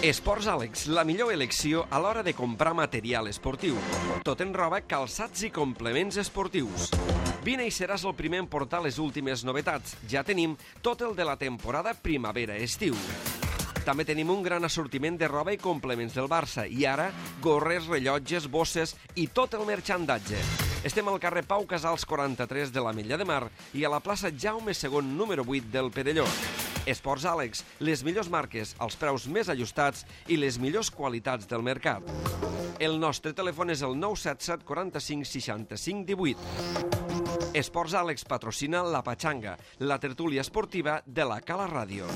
Esports Àlex, la millor elecció a l'hora de comprar material esportiu. Tot en roba, calçats i complements esportius. Vine i seràs el primer en portar les últimes novetats. Ja tenim tot el de la temporada primavera-estiu. També tenim un gran assortiment de roba i complements del Barça. I ara, gorres, rellotges, bosses i tot el marxandatge. Estem al carrer Pau Casals 43 de l'Ametlla de Mar i a la plaça Jaume II, número 8 del Perelló. Esports Àlex, les millors marques, els preus més ajustats i les millors qualitats del mercat. El nostre telèfon és el 977 45 65 18. Esports Àlex patrocina La Pachanga, la tertúlia esportiva de la Cala Ràdio.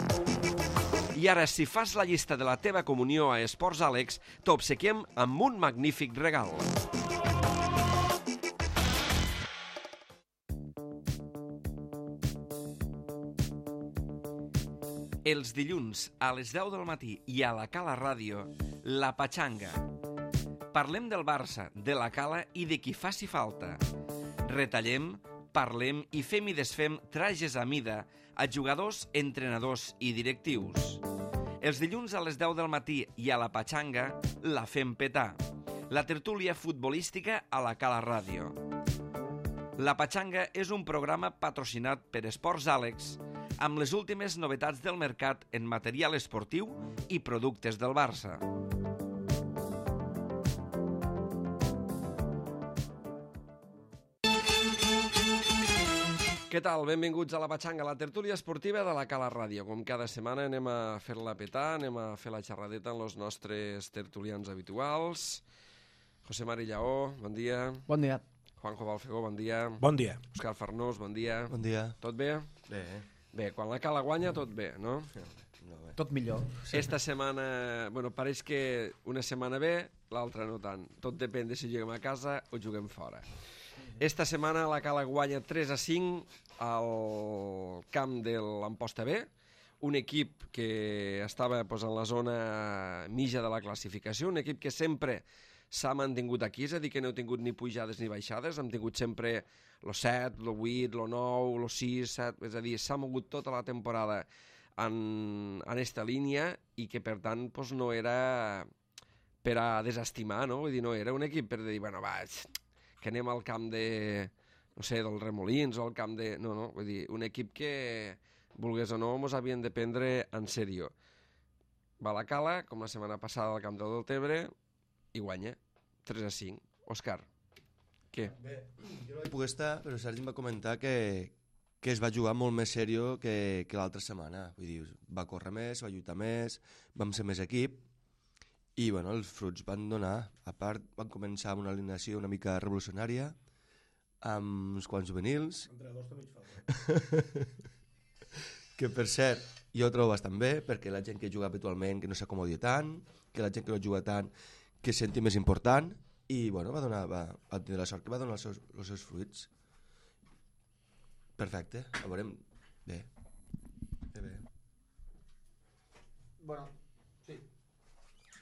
I ara, si fas la llista de la teva comunió a Esports Àlex, t'obsequiem amb un magnífic regal. Els dilluns a les 10 del matí i a la Cala Ràdio, La Pachanga. Parlem del Barça, de la Cala i de qui faci falta. Retallem, parlem i fem i desfem trajes a mida a jugadors, entrenadors i directius. Els dilluns a les 10 del matí i a La Pachanga la fem petar. La tertúlia futbolística a la Cala Ràdio. La Pachanga és un programa patrocinat per Esports Àlex amb les últimes novetats del mercat en material esportiu i productes del Barça. Què tal? Benvinguts a La Pachanga, la tertúlia esportiva de la Cala Ràdio. Com cada setmana anem a fer-la petar, anem a fer la xerradeta amb els nostres tertulians habituals. José Mari Lleó, bon dia. Bon dia. Juanjo Balfegó, bon dia. Bon dia. Òscar Farnós, bon dia. Bon dia. Tot bé? Bé. Bé, quan la Cala guanya, tot bé, no? No, bé. Tot millor. Esta setmana, bueno, pareix que una setmana bé, l'altra no tant. Tot depèn de si juguem a casa o juguem fora. Esta setmana la Cala guanya 3-5 al camp de l'Amposta B, un equip que estava pues, en la zona mitja de la classificació, un equip que sempre s'ha mantingut aquí, és a dir, que no heu tingut ni pujades ni baixades, hem tingut sempre el 7, el 8, el 9, el 6, 7, és a dir, s'ha mogut tota la temporada en esta línia i que, per tant, pues, no era per a desestimar, no? Vull dir, no era un equip per dir, bueno, va, que anem al camp de, no sé, dels Remolins o al camp de... No, no, vull dir, un equip que, vulgués o no, mos havien de prendre en sèrio. Va a la Cala, com la setmana passada al camp del Deltebre, i guanya 3-5. Òscar, què? Bé, jo no hi puc estar, però Sergi em va comentar que es va jugar molt més sèrio que l'altra setmana. Vull dir, va córrer més, va lluitar més, vam ser més equip i bueno, els fruits van donar. A part, van començar amb una alineació una mica revolucionària, amb uns quants juvenils. Entrenadors també hi falta. Que per cert, jo ho trobo bastant bé, perquè la gent que juga habitualment que no s'acomodi tant, que la gent que no juga tant que senti més important i bueno, va tenir la sort que va donar els seus fruits. Perfecte, a veurem. Bé. Bueno, sí.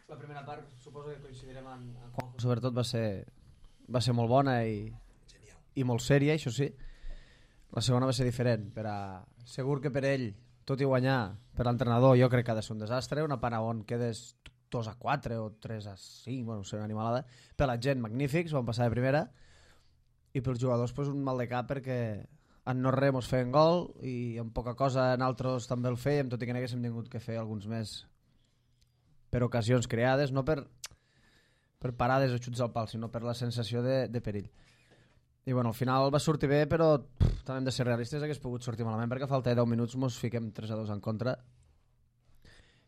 La primera part suposo que coincidirem en Juanjo. Sobretot va ser molt bona i molt sèria, això sí. La segona va ser diferent. Segur que per ell, tot i guanyar, per l'entrenador jo crec que ha de ser un desastre. Una part on quedes 2-4 o 3-5, bueno, ser una animalada. Per la gent, magnífics, van passar de primera. I pels jugadors, pues, un mal de cap perquè en no res mos feien gol i en poca cosa en altres també el fèiem, tot i que n'haguéssim tingut que fer alguns més per ocasions creades, no per parades o xuts al pal, sinó per la sensació de perill. I bueno, al final va sortir bé, però també hem de ser realistes, hagués pogut sortir malament perquè a falta de 10 minuts mos fiquem 3-2 en contra.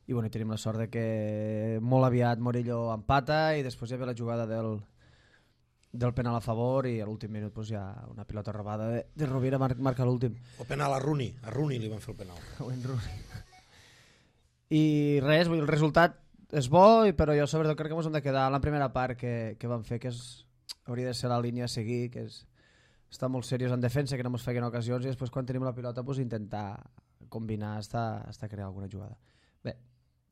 I bueno, tenim la sort de que molt aviat Morillo empata i després hi havia la jugada del penal a favor i a l'últim minut pues, hi ha una pilota robada de Rovira marca l'últim. O penal a Rooney li van fer el penal. I res, el resultat és bo, però jo sobretot crec que ens hem de quedar en la primera part que vam fer, que hauria de ser la línia a seguir, que és estar molt seriós en defensa, que no ens feien ocasions i després quan tenim la pilota pues, intentar combinar hasta crear alguna jugada. Bé,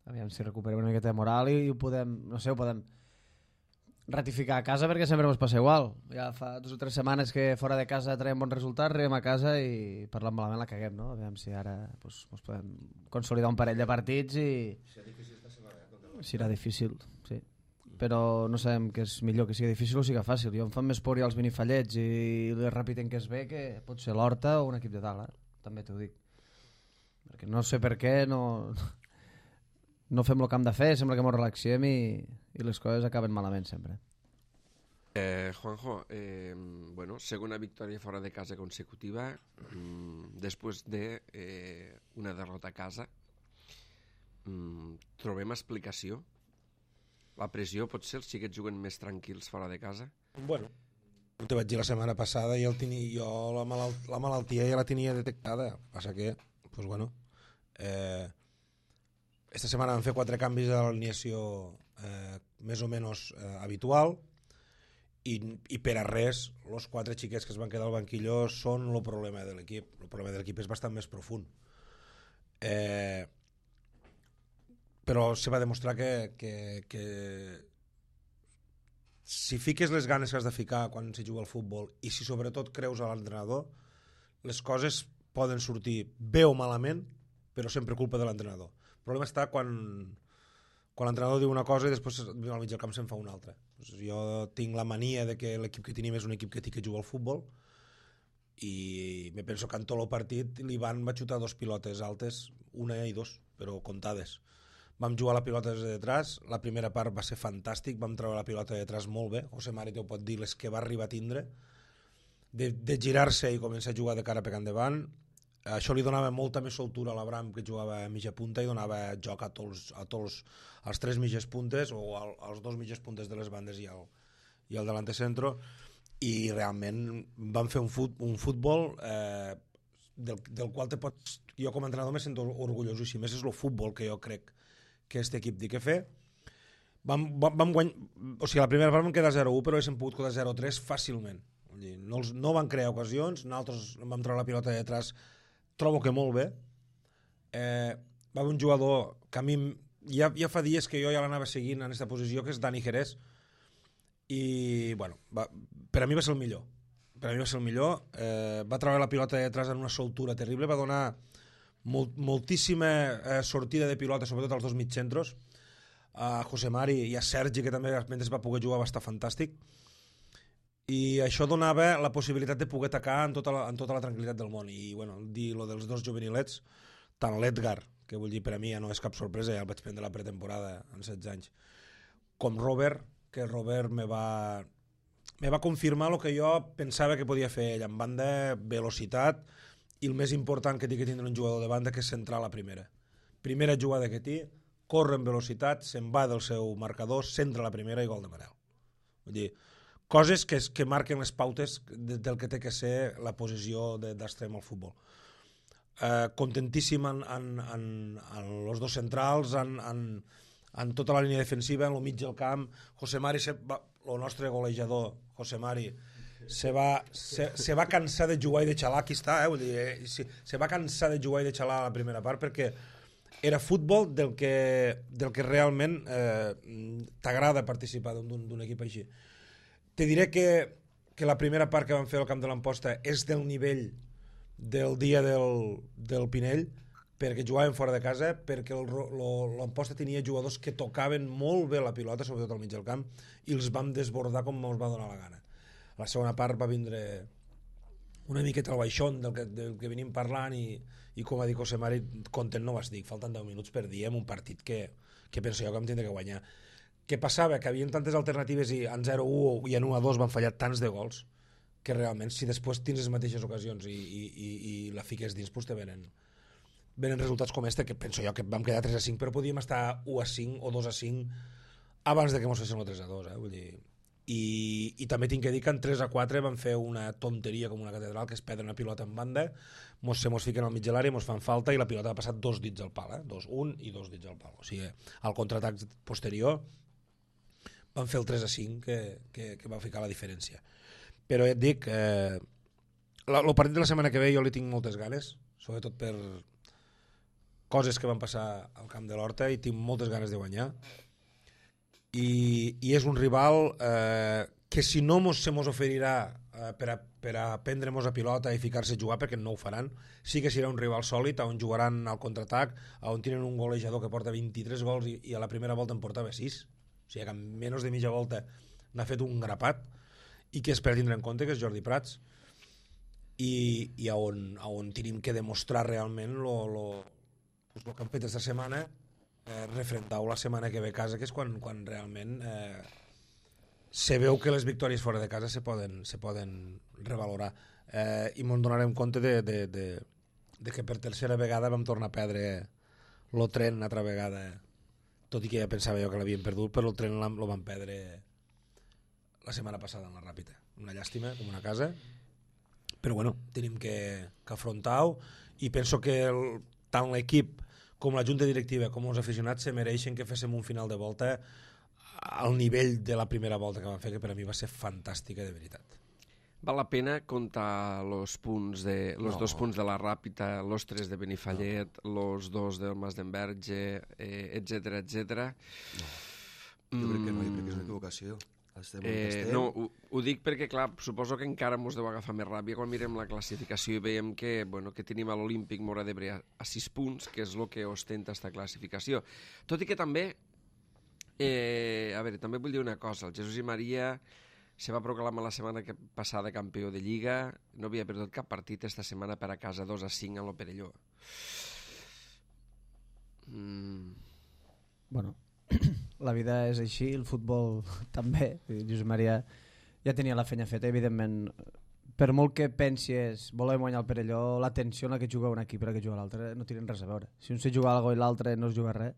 aviam si recuperem una miqueta de moral i ho podem ratificar a casa perquè sempre ens passa igual. Ja fa 2 o 3 setmanes que fora de casa traiem bons resultats, arribem a casa i parlant malament la caguem, no? Aviam si ara pues, podem consolidar un parell de partits i... Serà difícil, sí. Però no sabem què és millor, que sigui difícil o sigui fàcil. Jo em fan més por ja els minifallets i el Ràpid en què es ve que pot ser l'Horta o un equip de dalt, també t'ho dic. Perquè no sé per què no fem el que hem de fer, sembla que ens relaxem i les coses acaben malament sempre. Juanjo, segona victòria fora de casa consecutiva després de una derrota a casa. Trobem explicació? La pressió pot ser els xiquets juguen més tranquils fora de casa? Bueno, te vaig dir la setmana passada i jo la malaltia ja la tenia detectada. Passa que, doncs bueno, esta setmana vam fer 4 canvis de l'alineació més o menys habitual i per a res, els 4 xiquets que es van quedar al banquillo són el problema de l'equip. El problema de l'equip és bastant més profund. Però se va demostrar que si fiques les ganes que has de ficar quan se juga al futbol i si sobretot creus a l'entrenador, les coses poden sortir bé o malament, però sempre culpa de l'entrenador. El problema està quan l'entrenador diu una cosa i després al mig del camp se'n fa una altra. Jo tinc la mania de que l'equip que tenim és un equip que juga al futbol i me penso que en tot el partit l'Ivan va xutar 2 pilotes altes, una i 2, però comptades. Vam jugar la pilota des de detrás, la primera part va ser fantàstic, vam treure la pilota de detrás molt bé, José Mari ho pot dir, les que va arribar a tindre, de girar-se i començar a jugar de cara per endavant. Això li donava molta més soltura a l'Abram, que jugava a mitja punta, i donava joc a tots els 3 mitges puntes o als 2 mitges puntes de les bandes i el delante centro, i realment van fer un futbol del qual jo com a entrenador me sento orgullós, i més és el futbol que jo crec que aquest equip té que fer. Vam guanyar, o sigui, la primera part vam quedar 0-1, però haguéssim pogut quedar 0-3 fàcilment. No van crear ocasions, nosaltres vam treure la pilota de detrás, trobo que molt bé. Va haver un jugador que a mi ja fa dies que jo ja l'anava seguint en aquesta posició, que és Dani Jerez, i bueno, per a mi va ser el millor. Va treure la pilota de detrás en una soltura terrible, va donar moltíssima sortida de pilota, sobretot als 2 mitjentros, a José Mari i a Sergi, que també mentre va poder jugar va estar fantàstic, i això donava la possibilitat de poder atacar en tota la tranquil·litat del món. I bueno, dir lo dels 2 juvenilets, tant l'Edgar, que vull dir per a mi ja no és cap sorpresa, ja el vaig prendre la pretemporada en 16 anys, com Robert, que Robert me va confirmar el que jo pensava que podia fer ell, en banda, velocitat, i el més important que té que tindre un jugador de banda, que és centrar la primera jugada que té, corre amb velocitat, se'n va del seu marcador, centra la primera i gol de Manel. Vull dir, coses que marquen les pautes del que té que ser la posició d'extrem al futbol. Contentíssim en els 2 centrals, en tota la línia defensiva, en el mig del camp. José Mari, el nostre golejador, José Mari, se va cansar de jugar i de xalar. Aquí està, vull dir, se va cansar de jugar i de xalar a la primera part, perquè era futbol del que realment t'agrada participar d'un equip així. Te diré que la primera part que vam fer al camp de l'Amposta és del nivell del dia del Pinell, perquè jugàvem fora de casa, perquè l'Amposta tenia jugadors que tocaven molt bé la pilota, sobretot al mig del camp, i els vam desbordar com ens va donar la gana. La segona part va vindre una miqueta al baixón del que venim parlant, i com va dir José Mari, content no vas dir, falten 10 minuts per dia en un partit que penso jo que em tindré que guanyar. Què passava? Que havien tantes alternatives i en 0-1 i en 1-2 van fallar tants de gols que realment si després tens les mateixes ocasions i la fiques dins, doncs te venen resultats com este, que penso jo que vam quedar 3-5, però podíem estar 1-5 o 2-5 abans de que ens fessin el 3-2, vull dir. I també tinc que dir que en 3-4 van fer una tonteria com una catedral, que és perdre una pilota en banda, se mos fiquen al mig de l'àrea, mos fan falta i la pilota ha passat 2 dits al pal, 2-1 i 2 dits al pal. O sigui, al contraatac posterior van fer el 3-5 que va ficar la diferència. Però ja et dic, el partit de la setmana que ve jo li tinc moltes ganes, sobretot per coses que van passar al camp de l'Horta, i tinc moltes ganes de guanyar. I és un rival que si no se mos oferirà per a prendre-nos a pilota i ficar-se a jugar, perquè no ho faran. Sí que serà un rival sòlid, on jugaran al contraatac, on tenen un golejador que porta 23 gols i a la primera volta en portava 6. O sigui que en menys de mitja volta n'ha fet un grapat, i que és per tindre en compte que és Jordi Prats, i on tenim que demostrar realment el que han fet aquesta setmana, refrendar-ho la setmana que ve a casa, que és quan realment se veu que les victòries fora de casa se poden revalorar, i ens donarem compte de que per tercera vegada vam tornar a perdre el tren una altra vegada, tot i que ja pensava jo que l'havíem perdut, però el tren el vam perdre la setmana passada en la Ràpita. Una llàstima, com una casa, però bueno, tenim que afrontar-ho, i penso que tant l'equip com la junta directiva com els aficionats se mereixen que féssim un final de volta al nivell de la primera volta que vam fer, que per a mi va ser fantàstica, de veritat. Val la pena comptar los dos punts de la Ràpita, los 3 de Benifallet, los 2 del Mas d'Enverge, etcètera, etcètera. Jo crec que no, jo crec que és una equivocació. No, ho dic perquè, clar, suposo que encara mos deu agafar més ràbia quan mirem la classificació i veiem que tenim a l'Olímpic Móra d'Ebre a 6 punts, que és el que ostenta esta classificació. Tot i que també, a veure, també vull dir una cosa, el Jesús i Maria se va proclamar la setmana passada campió de Lliga, no havia perdut cap partit esta setmana per a casa 2-5 a l'Operelló. Bueno, la vida és així, el futbol també. Josep Maria ja tenia la feina feta, evidentment. Per molt que pensis volem guanyar el Perelló, la tensió en la que juga un equip i la que juga l'altre no tenen res a veure. Si un se juga alguna cosa i l'altre no es juga res,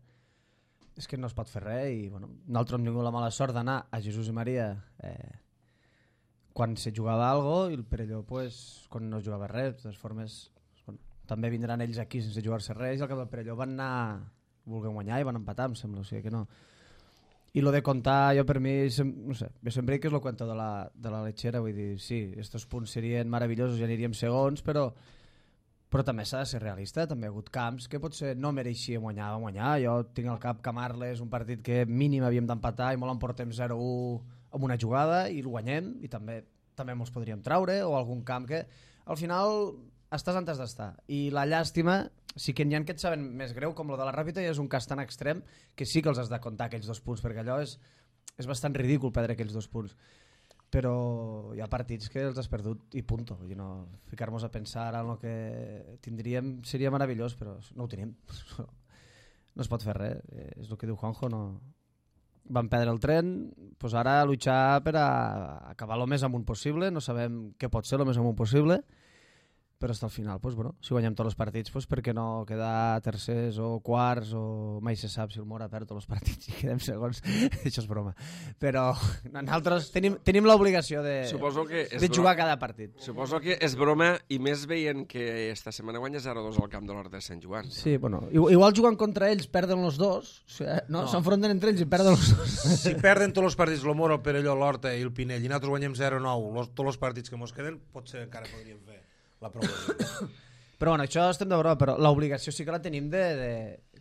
és que no es pot fer res. I bueno, nosaltres hem tingut la mala sort d'anar a Jesús i Maria quan se jugava alguna cosa, i el Perelló pues, quan no es jugava res. De totes formes, bueno, també vindran ells aquí sense jugar-se res, i al cap del Perelló van anar volent guanyar i van empatar, em sembla, o sigui que no. I lo de contar, jo per mi, no sé, jo sempre dic que és el cuento de la lechera, vull dir, sí, estos punts serien meravellosos, ja aniríem segons, però també s'ha de ser realista, també ha hagut camps que potser no mereixíem guanyar, jo tinc al cap Camarles, un partit que mínim havíem d'empatar i molt en portem 0-1 amb una jugada i el guanyem, i també mos podríem traure, o algun camp que al final estàs on has d'estar, i la llàstima sí que n'hi ha que et saben més greu, com lo de la Ràpita, i és un cas tan extrem que sí que els has de comptar aquells 2 punts, perquè allò és bastant ridícul perdre aquells 2 punts, però hi ha partits que els has perdut i punto. Vull dir, no, ficar-nos a pensar en el que tindríem seria meravellós, però no ho tenim. No es pot fer res, és el que diu Juanjo, no. Vam perdre el tren, doncs ara luchar per a acabar el més amunt possible, no sabem què pot ser el més amunt possible, però fins al final, doncs, bueno, si guanyem tots els partits, doncs, per què no quedar tercers o quarts, o mai se sap si el Mora perd tots els partits i quedem segons. Això és broma. Però nosaltres tenim l'obligació de jugar cada partit. Suposo que és broma, i més veient que esta setmana guanya 0-2 al camp de l'Horta de Sant Joan. Sí, bueno, igual jugant contra ells perden els dos, o sigui, no? S'enfronten entre ells i perden els dos. Si perden tots els partits, el Mora, el Perelló, l'Horta i el Pinell, i nosaltres guanyem 0-9, tots els partits que ens queden, potser encara podríem fer la promoció. Però bueno, això estem de broma, però l'obligació sí que la tenim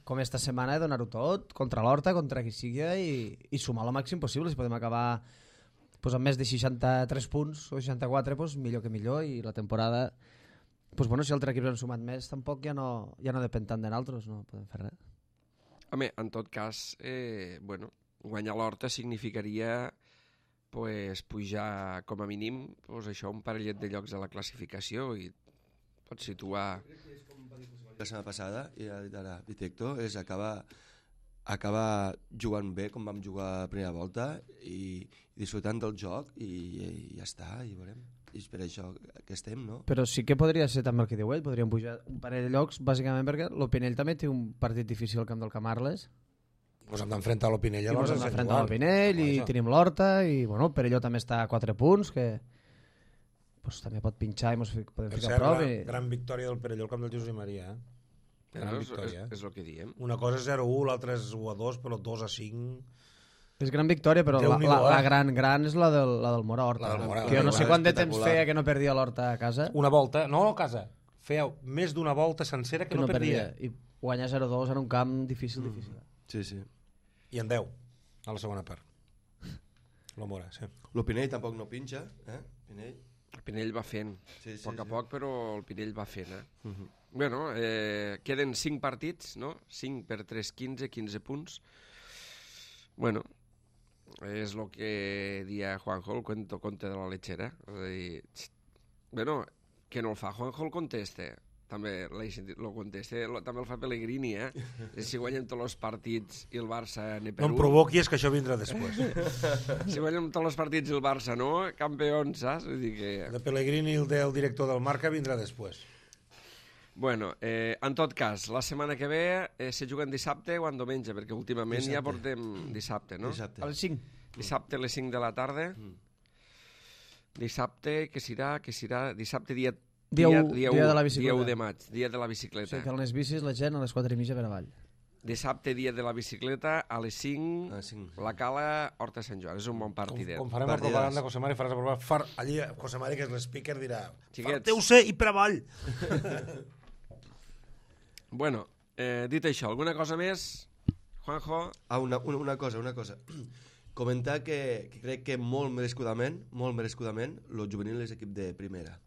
com esta setmana, de donar-ho tot contra l'Horta, contra qui sigui, i sumar el màxim possible. Si podem acabar pues, amb més de 63 punts o 64, pues, millor que millor, i la temporada, pues, bueno, si altres equips han sumat més, tampoc ja no depèn tant de nosaltres, no podem fer res. Home, en tot cas, guanyar l'Horta significaria pues, pujar com a mínim això, un parellet de llocs a la classificació, i pots situar... La setmana passada, i ha dit ara Vitecto, és acabar jugant bé com vam jugar la primera volta i disfrutant del joc, i ja està, i veurem. I és per això que estem, no? Però sí que podria ser també el que diu ell, podríem pujar un parell de llocs, bàsicament perquè l'Opinell també té un partit difícil al camp del Camarles. Ens hem d'enfrentar a l'Opinell. Ens hem d'enfrentar a l'Opinell i tenim l'Horta, i bueno, el Perelló també està a 4 punts, que pues, també pot pinxar i ens podem ficar a prop. Gran victòria del Perelló al camp del Jesús i Maria. Gran victòria. És el que diem. Una cosa és 0-1, l'altra és 1-2, però 2-5... És gran victòria, però la gran és la del Mora-Horta. Que jo no sé quant de temps feia que no perdia l'Horta a casa. Una volta, no a casa, feia més d'una volta sencera que no perdia. I guanyar 0-2 en un camp difícil. Sí, sí. I en 10, a la segona part. Lo Mora, sí. Lo Pinell tampoc no pinxa, Pinell. El Pinell va fent, Sí, a poc, però el Pinell va fent, Bueno, queden 5 partits, no? 5 per 3, 15 punts. Bueno, és el que dia Juanjo, el conte de la lechera. És a dir, bueno, que no el fa Juanjo el conteste. També lo conteste, també el fa Pellegrini, Si guanyem tots els partits i el Barça ne per No em un. provoquis, que això vindrà després. Si guanyem tots els partits i el Barça no, campions, saps? Vull dir que... De Pellegrini i el del director del Marca vindrà després. Bueno, en tot cas, la setmana que ve se juguen dissabte o en diumenge, perquè últimament ja portem dissabte, no? Dissabte. A les 5. Dissabte a les 5 de la tarda. Dissabte, què serà? Dissabte dia Dia u de la bicicleta. Dia 1 de maig, dia de la bicicleta. O sigui que a les bicis la gent a les 4:30 per avall. Dissabte, dia de la bicicleta, a les 5, A les 5. la Cala, Horta Sant Joan. És un bon partidet. Com farem la Partidaç. propaganda, José Mari, faràs la propaganda. Allí, José Mari, que és l'speaker, dirà Xiquets. farteu-se i per avall. Bueno, dit això, alguna cosa més? Juanjo? Una cosa. Comentar que crec que molt merescudament, el juvenil és equip de primera.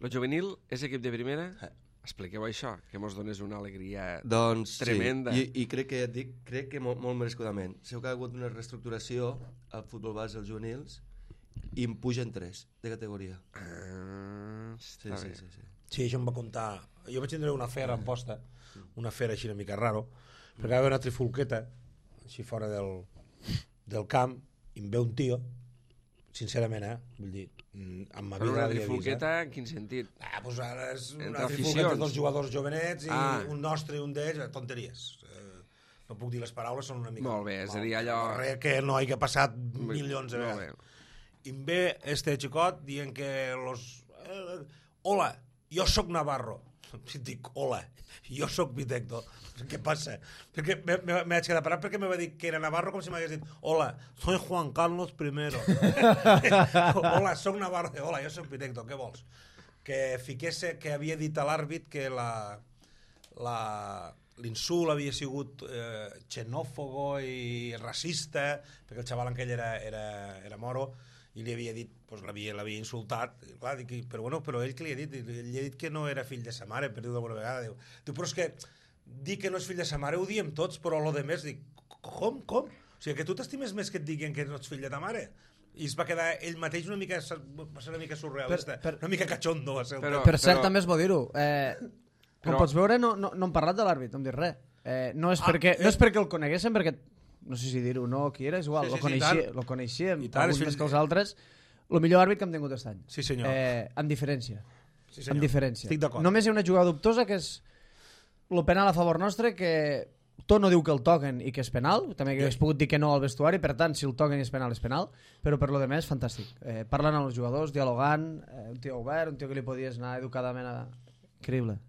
Lo juvenil és equip de primera? Eh. Expliqueu això, que mos dones una alegria Doncs tremenda. sí, i crec que, crec que molt merescudament. Sé que ha hagut una reestructuració al futbol base dels juvenils i en pugen 3 de categoria. Està bé. Sí. Sí, això em va contar. Jo vaig tindre una fera en posta, una fera així una mica raro, perquè va haver una trifulqueta, així fora del camp, i em ve un tio, sincerament, vull dir, amb ma Però vida una l'havia vist. trifulqueta, en quin sentit? Doncs ara és Entre una trifulqueta aficions. de dos jugadors jovenets i un nostre i un d'ells, tonteries. No puc dir les paraules, són una mica... Molt bé, és a dir, allò... Res que no hagi passat milions de Molt vegades. bé. I em ve este xicot dient que los... hola, jo sóc Navarro. Si dic, hola, jo sóc Vitecto. Què passa? Perquè m'haig quedat parat perquè me va dir que era Navarro com si m'hagués dit hola, soy Juan Carlos I. Hola, sóc Navarro. Hola, jo sóc Vitecto, què vols? Que fiqués que havia dit a l'àrbit que l'insult havia sigut xenòfobo i racista, perquè el xaval aquell era moro, i li havia dit, doncs l'havia insultat, clar, però ell que li ha dit? Ell ha dit que no era fill de sa mare, per dir-ho d'alguna vegada. Diu, però és que dir que no és fill de sa mare ho diem tots, però lo de més, dic, com? O sigui, que tu t'estimes més que et diguin que no ets fill de ta mare? I es va quedar ell mateix va ser una mica surrealista, una mica cachondo. Per cert, també és bo dir-ho. Com pots veure, no hem parlat de l'àrbit, no hem dit res. No és perquè el coneguéssim, perquè no sé si dir-ho, no, qui era, és igual, lo coneixíem, alguns més que els altres, el millor àrbit que hem tingut aquest any. Sí, senyor. Amb diferència. Sí, senyor. Amb diferència. Estic d'acord. Només hi ha una jugada dubtosa, que és el penal a favor nostre, que tot no diu que el toquen i que és penal, també que hagués pogut dir que no al vestuari, per tant, si el toquen i és penal, però per lo de més, fantàstic. Parlant amb els jugadors, dialogant, un tio obert, un tio que li podies anar educadament a... Increïble.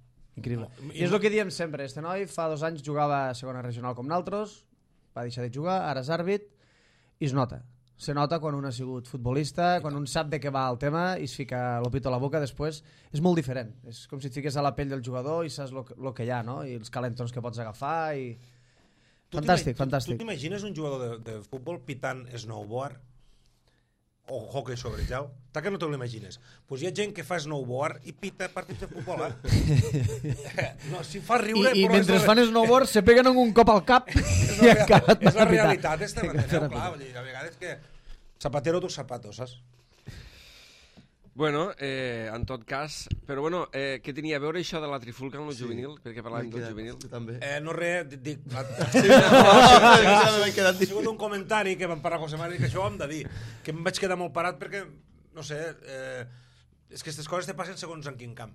I és el que diem sempre, este noi fa 2 anys jugava a segona regional com naltros, va deixar de jugar, ara és àrbit, i es nota. Se nota quan un ha sigut futbolista, quan un sap de què va el tema i es fica l'opito a la boca després. És molt diferent. És com si et fiques a la pell del jugador i saps el que hi ha, no? I els calentons que pots agafar. I... Fantàstic. Tu t'imagines un jugador de futbol pitant snowboard? O hockey sobre gel? Tant que no te l'imagines. Doncs hi ha gent que fa snowboard i pita partits de futbol, No, si fa riure... I mentre fan snowboard se peguen un cop al cap i encara és la realitat, clar. A vegades que zapatero tus zapatos, saps? Bueno, en tot cas... Però bueno, què tenia a veure això de la trifulca amb el juvenil? Perquè parlàvem del juvenil. També. No res, dic... Ha sigut un comentari que vam parlar a José Mari, que això ho hem de dir, que em vaig quedar molt parat perquè, no sé, és que aquestes coses te passen segons en quin camp.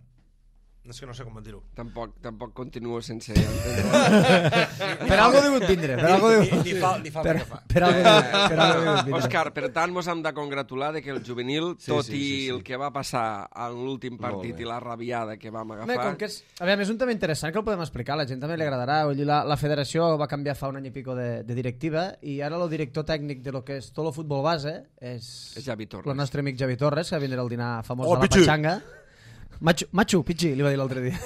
És que no sé com dir-ho. Tampoc continuo sense... Per algo degut vindre. Ni fa el que fa. Per algo degut vindre. Òscar, per tant, mos hem de congratular de que el juvenil, tot i el que va passar en l'últim partit i la rabiada que vam agafar... A veure, és un tema interessant que el podem explicar, a la gent també li agradarà. La federació va canviar fa un any i pico de directiva i ara el director tècnic de lo que és tot el futbol base és Javi Torres. El nostre amic Javi Torres, que va vindre al dinar famós de la Pachanga. Machu, Pichi, li va dir l'altre dia.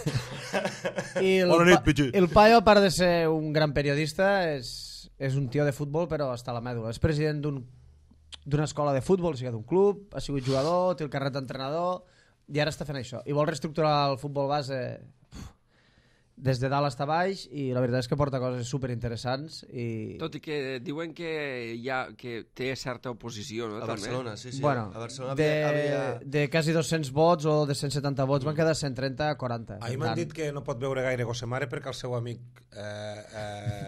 El paio, a part de ser un gran periodista, és un tio de futbol, però està a la mèdula. És president d'un d'una escola de futbol, o sigui, d'un club, ha sigut jugador, té el carnet d'entrenador, i ara està fent això. I vol reestructurar el futbol base des de dalt a baix, i la veritat és que porta coses superinteressants. Tot i que diuen que té certa oposició, no? A Barcelona, sí. Bueno, a Barcelona de quasi 200 vots o de 170 vots van quedar 130 a 40. Ahir m'han dit que no pot veure gaire José Mare perquè el seu amic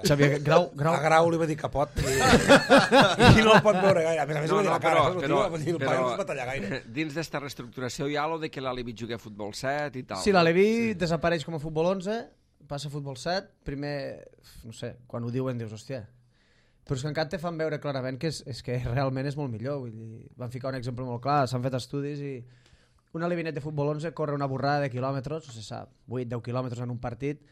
Xavier Grau a Grau li va dir que pot i no el pot veure gaire. A més li va dir la cara, el paio no es va tallar gaire. Dins d'esta reestructuració hi ha allò de que l'Alevi jugui a futbol 7 i tal. Sí, l'Alevi desapareix com a futbol 11, passa a futbol 7, primer, no sé, quan ho diuen dius, hòstia. Però és que encara te fan veure clarament que és que realment és molt millor. Vull dir, van ficar un exemple molt clar, s'han fet estudis i un alevinet de futbol 11 corre una borrada de quilòmetres, no sé sap, 8-10 quilòmetres en un partit,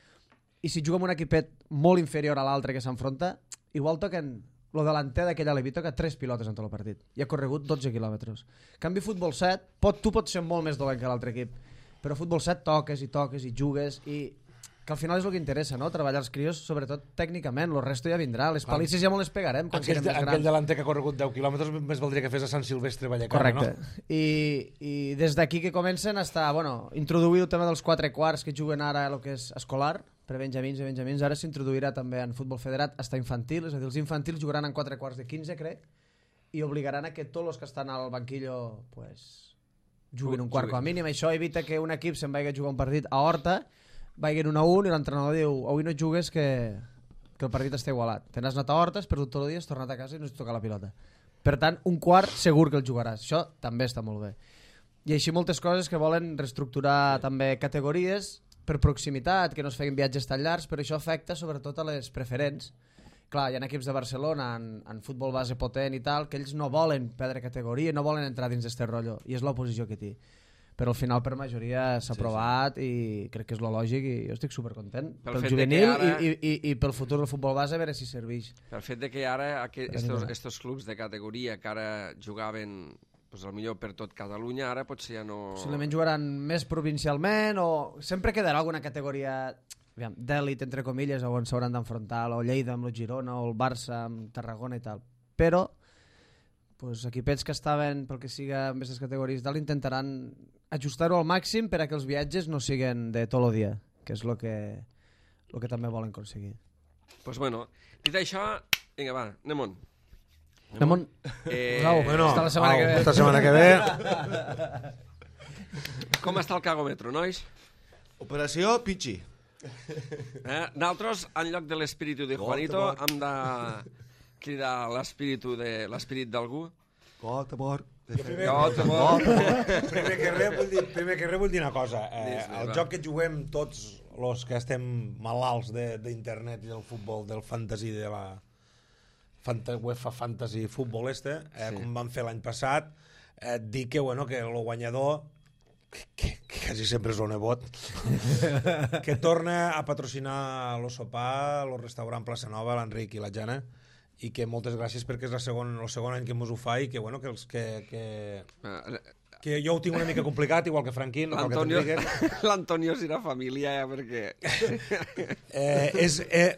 i si juga amb un equipet molt inferior a l'altre que s'enfronta, igual toquen el delanter d'aquell alevi toca 3 pilotes en tot el partit i ha corregut 12 quilòmetres. En canvi, futbol 7, tu pots ser molt més dolent que l'altre equip, però futbol 7 toques i jugues i que al final és el que interessa, no? Treballar els crios, sobretot tècnicament, el resto ja vindrà, les palisses ja molt les pegarem quan siguem més grans. Aquell delanter que ha corregut 10 quilòmetres més valdria que fes a Sant Silvestre Vallecana, correcte. No? I des d'aquí que comencen a estar, introduir el tema dels 4 quarts que juguen ara el que és escolar, per benjamins i benjamins, ara s'introduirà també en futbol federat hasta infantil, és a dir, els infantils jugaran en 4 quarts de 15, crec, i obligaran a que tots els que estan al banquillo juguin un quart com a mínim. Això evita que un equip se'n vagi a jugar un partit a Horta, vagin 1-1 i l'entrenador diu avui no jugues que el partit està igualat. Te n'has anat a Horta, has perdut tot el dia, has tornat a casa i no has tocat la pilota. Per tant, un quart segur que el jugaràs. Això també està molt bé. I així moltes coses que volen reestructurar també categories per proximitat, que no es feien viatges tan llargs, però això afecta sobretot a les preferents. Clar, hi ha equips de Barcelona en futbol base potent i tal, que ells no volen perdre categoria, no volen entrar dins d'este rotllo, i és l'oposició que té. Però al final per majoria s'ha aprovat i crec que és lo lògic i jo estic supercontent pel juvenil i pel futur del futbol base, a veure si serveix. Pel fet de que ara estos clubs de categoria que ara jugaven el millor per tot Catalunya, ara potser ja no... Possiblement jugaran més provincialment o sempre quedarà alguna categoria d'èlit, entre comilles, on s'hauran d'enfrontar o Lleida amb el Girona o el Barça amb Tarragona i tal. Però equipets que estaven, pel que siga amb aquestes categories tal, intentaran ajustar-ho al màxim per a que els viatges no siguen de tot el dia, que és el que també volen aconseguir. Doncs bueno, dit això, vinga va, anem-on. Anem-on. Hasta la setmana que ve. Hasta la setmana que ve. Com està el cagòmetre, nois? Operació Pichi. Nosaltres, en lloc de l'espíritu de Juanito, hem de cridar l'espírit d'algú. Got, amor. Primer que res vull dir una cosa. El joc que juguem tots els que estem malalts d'internet i del futbol, del fantasy, de la UEFA Fantasy Futbol com vam fer l'any passat, dir que el guanyador, que quasi sempre és el nebot, que torna a patrocinar el sopar, el restaurant Plaça Nova, l'Enric i la Jana, i que moltes gràcies perquè és el segon any que mos ho fa i que que jo ho tinc una mica complicat, igual que Franquín. L'Antonio serà família, perquè...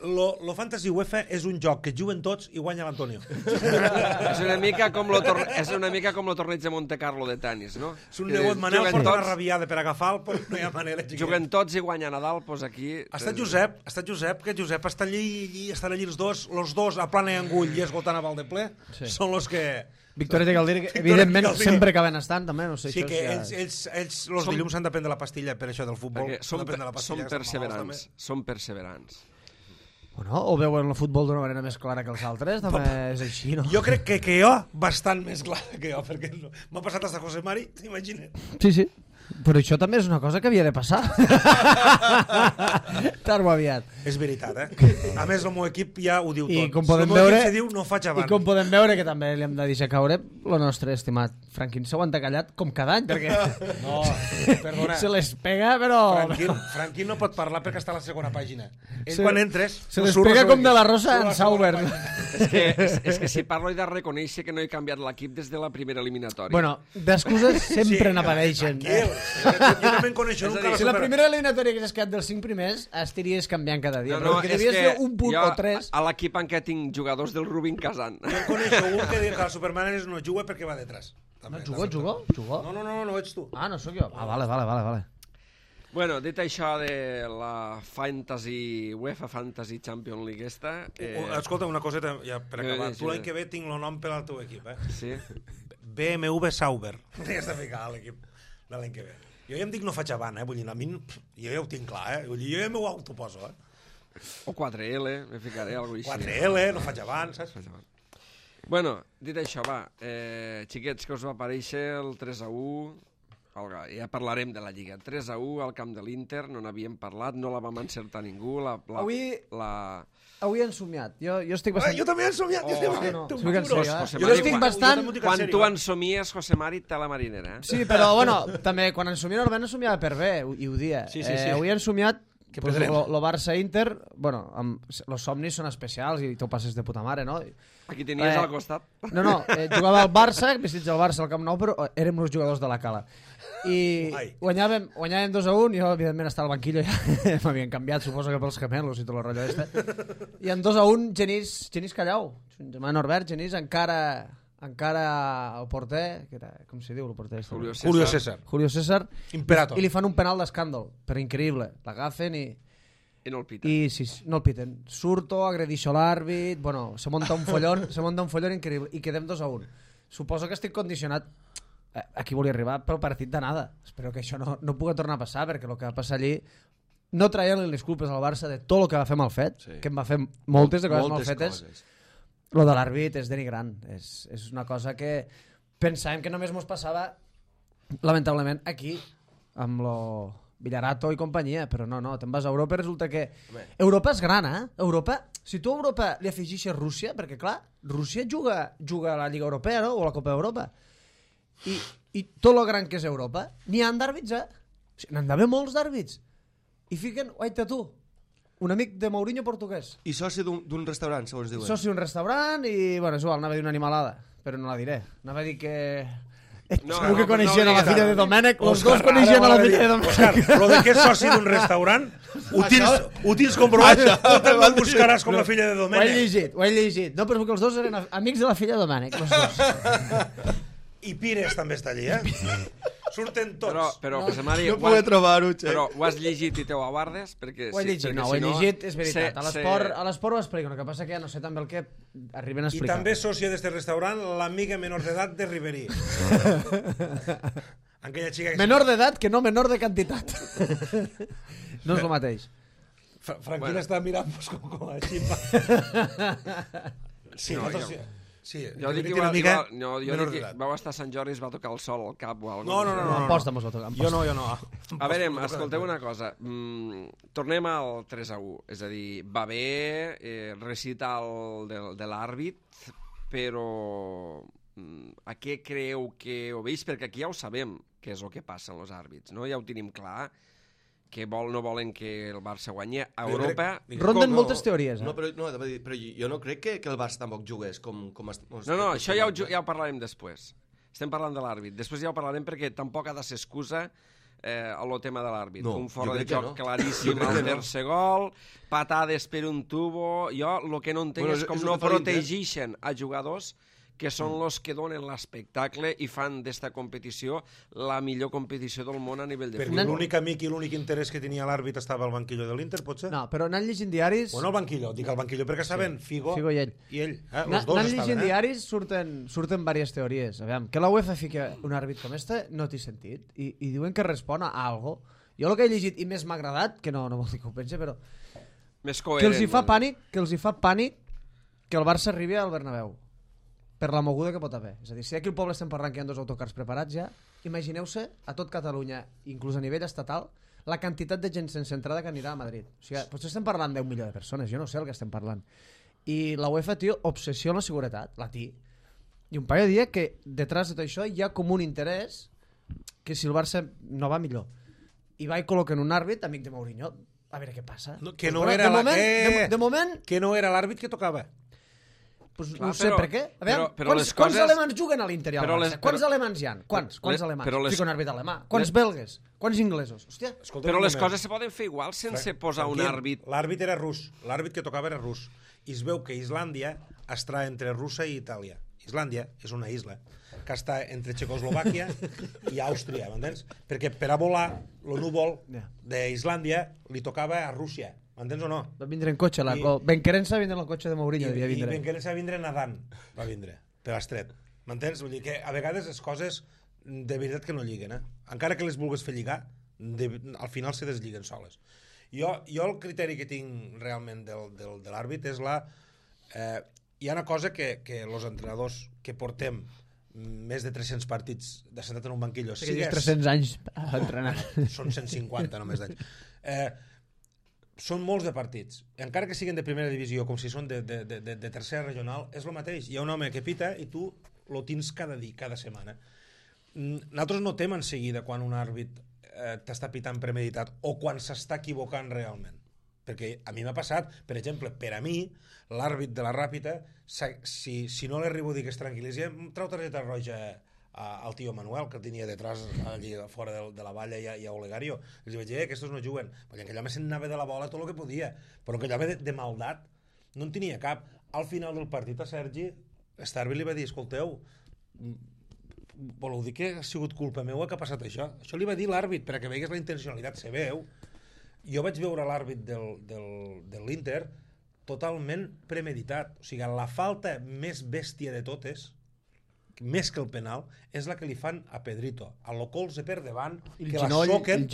Lo Fantasy UEFA és un joc que juguen tots i guanya l'Antonio. És una mica com el torneig de Monte Carlo de tenis, no? És un nebot Manel, porta una rabiada per agafar no hi ha manera. Juguen tots i guanya Nadal, doncs aquí... Està Josep, que Josep està estan allí els dos a plana i angull i esgotant a Valdeple, són els que... Victòria de Caldir, evidentment, sempre acaben estant, també, no sé. Sí, que ells els dilluns han de prendre la pastilla per això del futbol. Són perseverants. Bueno, o veuen el futbol d'una manera més clara que els altres, també és així, no? Jo crec que jo, bastant més clara que jo, perquè m'ha passat hasta José Mari, t'imagines? Sí. Però això també és una cosa que havia de passar. Tard o aviat. És veritat, A més, el meu equip ja ho diu tot. I com podem veure, diu, no faig avant. I com podem veure, que també li hem de deixar caure, el nostre estimat Franquín s'aguanta callat com cada any, perquè... No, perdona. Se les pega, però... Franquín no pot parlar perquè està a la segona pàgina. Quan entres... Se les pega com de la Rosa en Sauber. És que si parlo he de reconèixer que no he canviat l'equip des de la primera eliminatòria. Bueno, d'excuses sempre n'apareixen. Jo també en coneixo un que Si la primera eliminatòria hagués quedat dels 5 primers, estiries canviant cada dia. Però que devies fer un punt o 3... A l'equip en què tinc jugadors del Rubin Kazan. Jo en coneixo un que diu que el Superman no juga perquè va detrás. No, jugó? No ets tu. Ah, no sóc jo. Ah, vale. Bueno, dit això de la UEFA Fantasy Champions League esta... Escolta, una coseta ja per acabar. Tu l'any que ve tinc el nom per al teu equip, Sí? BMW Sauber. Ja està ficat a l'equip de l'any que ve. Jo ja em dic no faig avant, vull dir, a mi jo ja ho tinc clar, vull dir, jo ja m'ho autoposo, O 4L, me ficaré, alguna cosa així. 4L, no faig avant, saps? Bueno, dit això, va, xiquets, que us va aparèixer el 3-1, ja parlarem de la Lliga. 3-1 al camp de l'Inter, no n'havíem parlat, no la vam encertar ningú. Avui he ensomiat. Jo estic bastant... Jo també he ensomiat. Jo estic bastant... Quan tu ensomies, José Mari, té la marinera. Sí, però, bueno, també, quan ensomia normalment ensomiava per bé, i ho dia. Avui he ensomiat lo Barça-Inter, bueno, los somnis són especials i t'ho passes de puta mare, no? Aquí tenies al costat. No, jugava al Barça, vestits al Barça al Camp Nou, però érem uns jugadors de la Cala. I guanyàvem 2-1, jo evidentment estava al banquillo, ja m'havien canviat, suposo que pels gemelos i tot el rotllo este. I en 2-1, Genís Callau, germà Norbert, Genís encara el porter, que era, com se diu el porter? Julio César. Imperator. I li fan un penal d'escàndol, però increïble. L'agafen i no el piten. No el piten. Surto, agredixo l'àrbit, bueno, se monta un follón increïble i quedem 2-1. Suposo que estic condicionat aquí volia arribar pel partit d'anada. Espero que això no pugui tornar a passar, perquè el que va passar allí no traient-li les culpes al Barça de tot el que va fer mal fet, que em va fer moltes de coses mal fetes. Lo de l'àrbit és denigrant. És una cosa que pensàvem que només mos passava lamentablement aquí amb lo Villarato i companyia, però no, te'n vas a Europa i resulta que Europa és gran, Europa, si tu a Europa li afegixes Rússia, perquè clar, Rússia juga a la Lliga Europea, no? O a la Copa d'Europa, i tot lo gran que és Europa, n'hi ha d'àrbits, O sigui, n'han d'haver molts d'àrbits, i fiquen, oita tu, un amic de Mourinho portuguès. I soci d'un restaurant, segons diuen. Soci d'un restaurant i, bueno, és igual, anava a dir una animalada, però no la diré. Anava a dir que... Segur que coneixien a la filla de Domènec, els dos coneixien a la filla de Domènec. Òscar, lo de que és soci d'un restaurant, ho tens comprovat, tu te'l buscaràs com la filla de Domènec. Ho he llegit. No, però que els dos eren amics de la filla de Domènec, els dos. I Pires també està allí, Surten tots. Però no poder trobar-ho, però ho has llegit i te ho aguardes? Ho he llegit, ho he llegit, és veritat. A l'esport ho explico, el que passa que ja no sé també el que arriben a explicar. I també sòcia d'este restaurant, l'amiga menor d'edat de Riverí. Menor d'edat que no menor de quantitat. No és el mateix. Franquina està mirant-nos com a ximpa. Sí, sí, jo dic que vau estar a Sant Jordi i es va tocar el sol al cap o alguna cosa. No. Aposta mos va tocar. Jo no. A veure, escolteu una cosa. Tornem al 3-1. És a dir, va bé recital de l'àrbit, però a què creu que ho veig? Perquè aquí ja ho sabem, què és el que passa amb els àrbits, no? Ja ho tenim clar, que no volen que el Barça guanyi a Europa. Ronden moltes teories, No, però jo no crec que el Barça tampoc jugués com... No, això ja ho parlarem després. Estem parlant de l'àrbit. Després ja ho parlarem perquè tampoc ha de ser excusa el tema de l'àrbit. Un fora de joc claríssim al tercer gol, patades per un tubo... Jo el que no entenc és com no protegeixen a jugadors que són els que donen l'espectacle i fan d'esta competició la millor competició del món a nivell de futbol. Perquè l'únic amic i l'únic interès que tenia l'àrbit estava al banquillo de l'Inter, potser? No, però anant llegint diaris... Bueno, al banquillo, perquè estaven Figo i ell. Los dos anant llegint diaris surten diverses teories. Aviam, que la UEFA fica un àrbit com este no té sentit i diuen que respon a algo. Jo el que he llegit i més m'ha agradat, que no vol dir que ho pense, però... Que els hi fa pànic que el Barça arribi al Bernabéu. Per la moguda que pot haver. És a dir, si aquí al poble estem parlant que hi ha 2 autocars preparats ja, imagineu-se a tot Catalunya, inclús a nivell estatal, la quantitat de gent sense entrada que anirà a Madrid. O sigui, potser estem parlant d'1 milió de persones, jo no sé el que estem parlant. I la UEFA, tio, obsessió amb la seguretat, la té. I un paio dia que detrás de tot això hi ha com un interès que si el Barça no va millor i va i col·loquen un àrbit, amic de Mourinho, a veure què passa. Que no era l'àrbit que tocava. Pues Clar, no sé però- per què. A veure, però quants, les quants coses- alemans juguen a l'Inter i al però Barça? les- Quants però- alemans hi ha? Quants alemans? però les- Fica un àrbit alemà. Quants les- belgues? Quants inglesos? Hòstia. Escolta Però un les moment. coses se poden fer igual sense posar un Tranquil, àrbit. L'àrbit era rus. L'àrbit que tocava era rus. I es veu que Islàndia està entre Rússia i Itàlia. Islàndia és una isla que està entre Txecoslovàquia i Àustria, m'entens? Perquè per a volar, el núvol Ja. d'Islàndia li tocava a Rússia, m'entens o no? Va vindre en cotxe. Benquerença va vindre en el cotxe de Mourinho. devia I vindre. Benquerença va vindre nedant, va vindre, per l'estret. M'entens? Vull dir que a vegades les coses de veritat que no lliguen, encara que les vulguis fer lligar, al final se deslliguen soles. Jo el criteri que tinc realment de l'àrbit és hi ha una cosa que els entrenadors que portem més de 300 partits de sentat en un banquillo, Que dius 300 anys a entrenar. són 150 només d'anys, són molts de partits, encara que siguin de primera divisió com si són de tercera regional, és el mateix, hi ha un home que pita i tu lo tens cada setmana. Nosaltres notem en seguida quan un àrbit t'està pitant premeditat o quan s'està equivocant realment, perquè a mi m'ha passat, per exemple, per a mi l'àrbit de la Ràpita, si no li arribo a dir que es tranquil·litzi, em trau targeta roja al tio Manuel, que el tenia detrás allí fora de la valla i a Olegario. Els vaig dir, aquests no juguen, perquè aquell home se'n anava de la bola tot el que podia, però aquell home de maldat no en tenia cap. Al final del partit a Sergi Starby li va dir, escolteu, voleu dir que ha sigut culpa meva que ha passat això? Això li va dir l'àrbit, perquè veigues la intencionalitat, se veu. Jo vaig veure l'àrbit de l'Inter totalment premeditat, o sigui, la falta més bèstia de totes, més que el penal, és la que li fan a Pedrito, a lo colze per davant, que la soquen,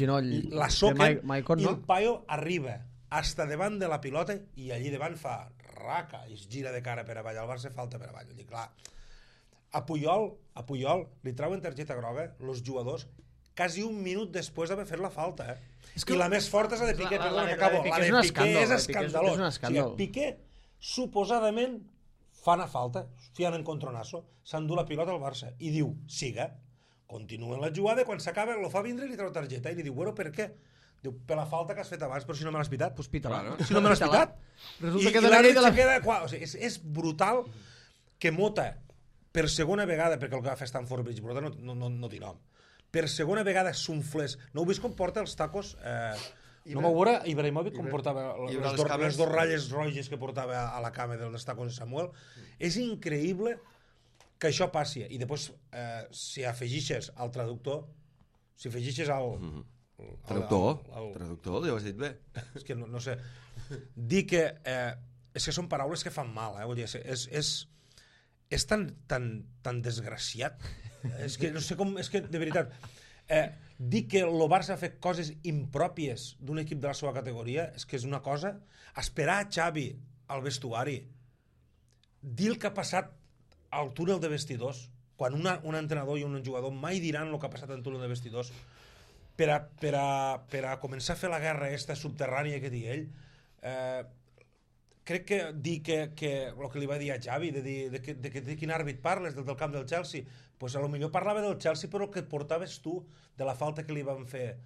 i el paio arriba hasta davant de la pilota i allí davant fa raca i es gira de cara per avall, al Barça falta per avall. Clar, a Puyol li trauen targeta groga els jugadors quasi un minut després d'haver fet la falta, I la més forta és la de Piqué, perdona que acabo, la de Piqué és escandalós. O sigui, Piqué suposadament fa una falta, fiant en contronasso, s'endú la pilota al Barça i diu, siga, continuen la jugada, quan s'acaba lo fa vindre i li treu targeta i li diu, bueno, per què? Diu, per la falta que has fet abans, però si no me l'has pitat. Pues pita-la. Si no me l'has pitat. Resulta que I l'àrbit se queda... O sigui, és brutal que Mota, per segona vegada, perquè el que va fer Stamford Bridge, Mota no té nom, per segona vegada s'unflés. No heu vist com porta els tacos... No m'ho veure Ibrahimovic com portava les dos ratlles roges que portava a la cama dels tacos de Samuel. És increïble que això passi. I després, si afegixes al traductor, si afegixes al... Traductor, ja ho has dit bé. És que no sé. Dir que... És que són paraules que fan mal, vull dir, és tan desgraciat. És que no sé com... És que, de veritat... dir que el Barça ha fet coses impròpies d'un equip de la seva categoria és que és una cosa... Esperar a Xavi al vestuari, dir el que ha passat al túnel de vestidors, quan un entrenador i un jugador mai diran el que ha passat al túnel de vestidors, per a començar a fer la guerra aquesta subterrània que diu ell, crec que dir que el que li va dir a Xavi, de quin àrbit parles, del camp del Chelsea, pues a lo millor parlava del Chelsea però el que portaves tu, de la falta que li van fer,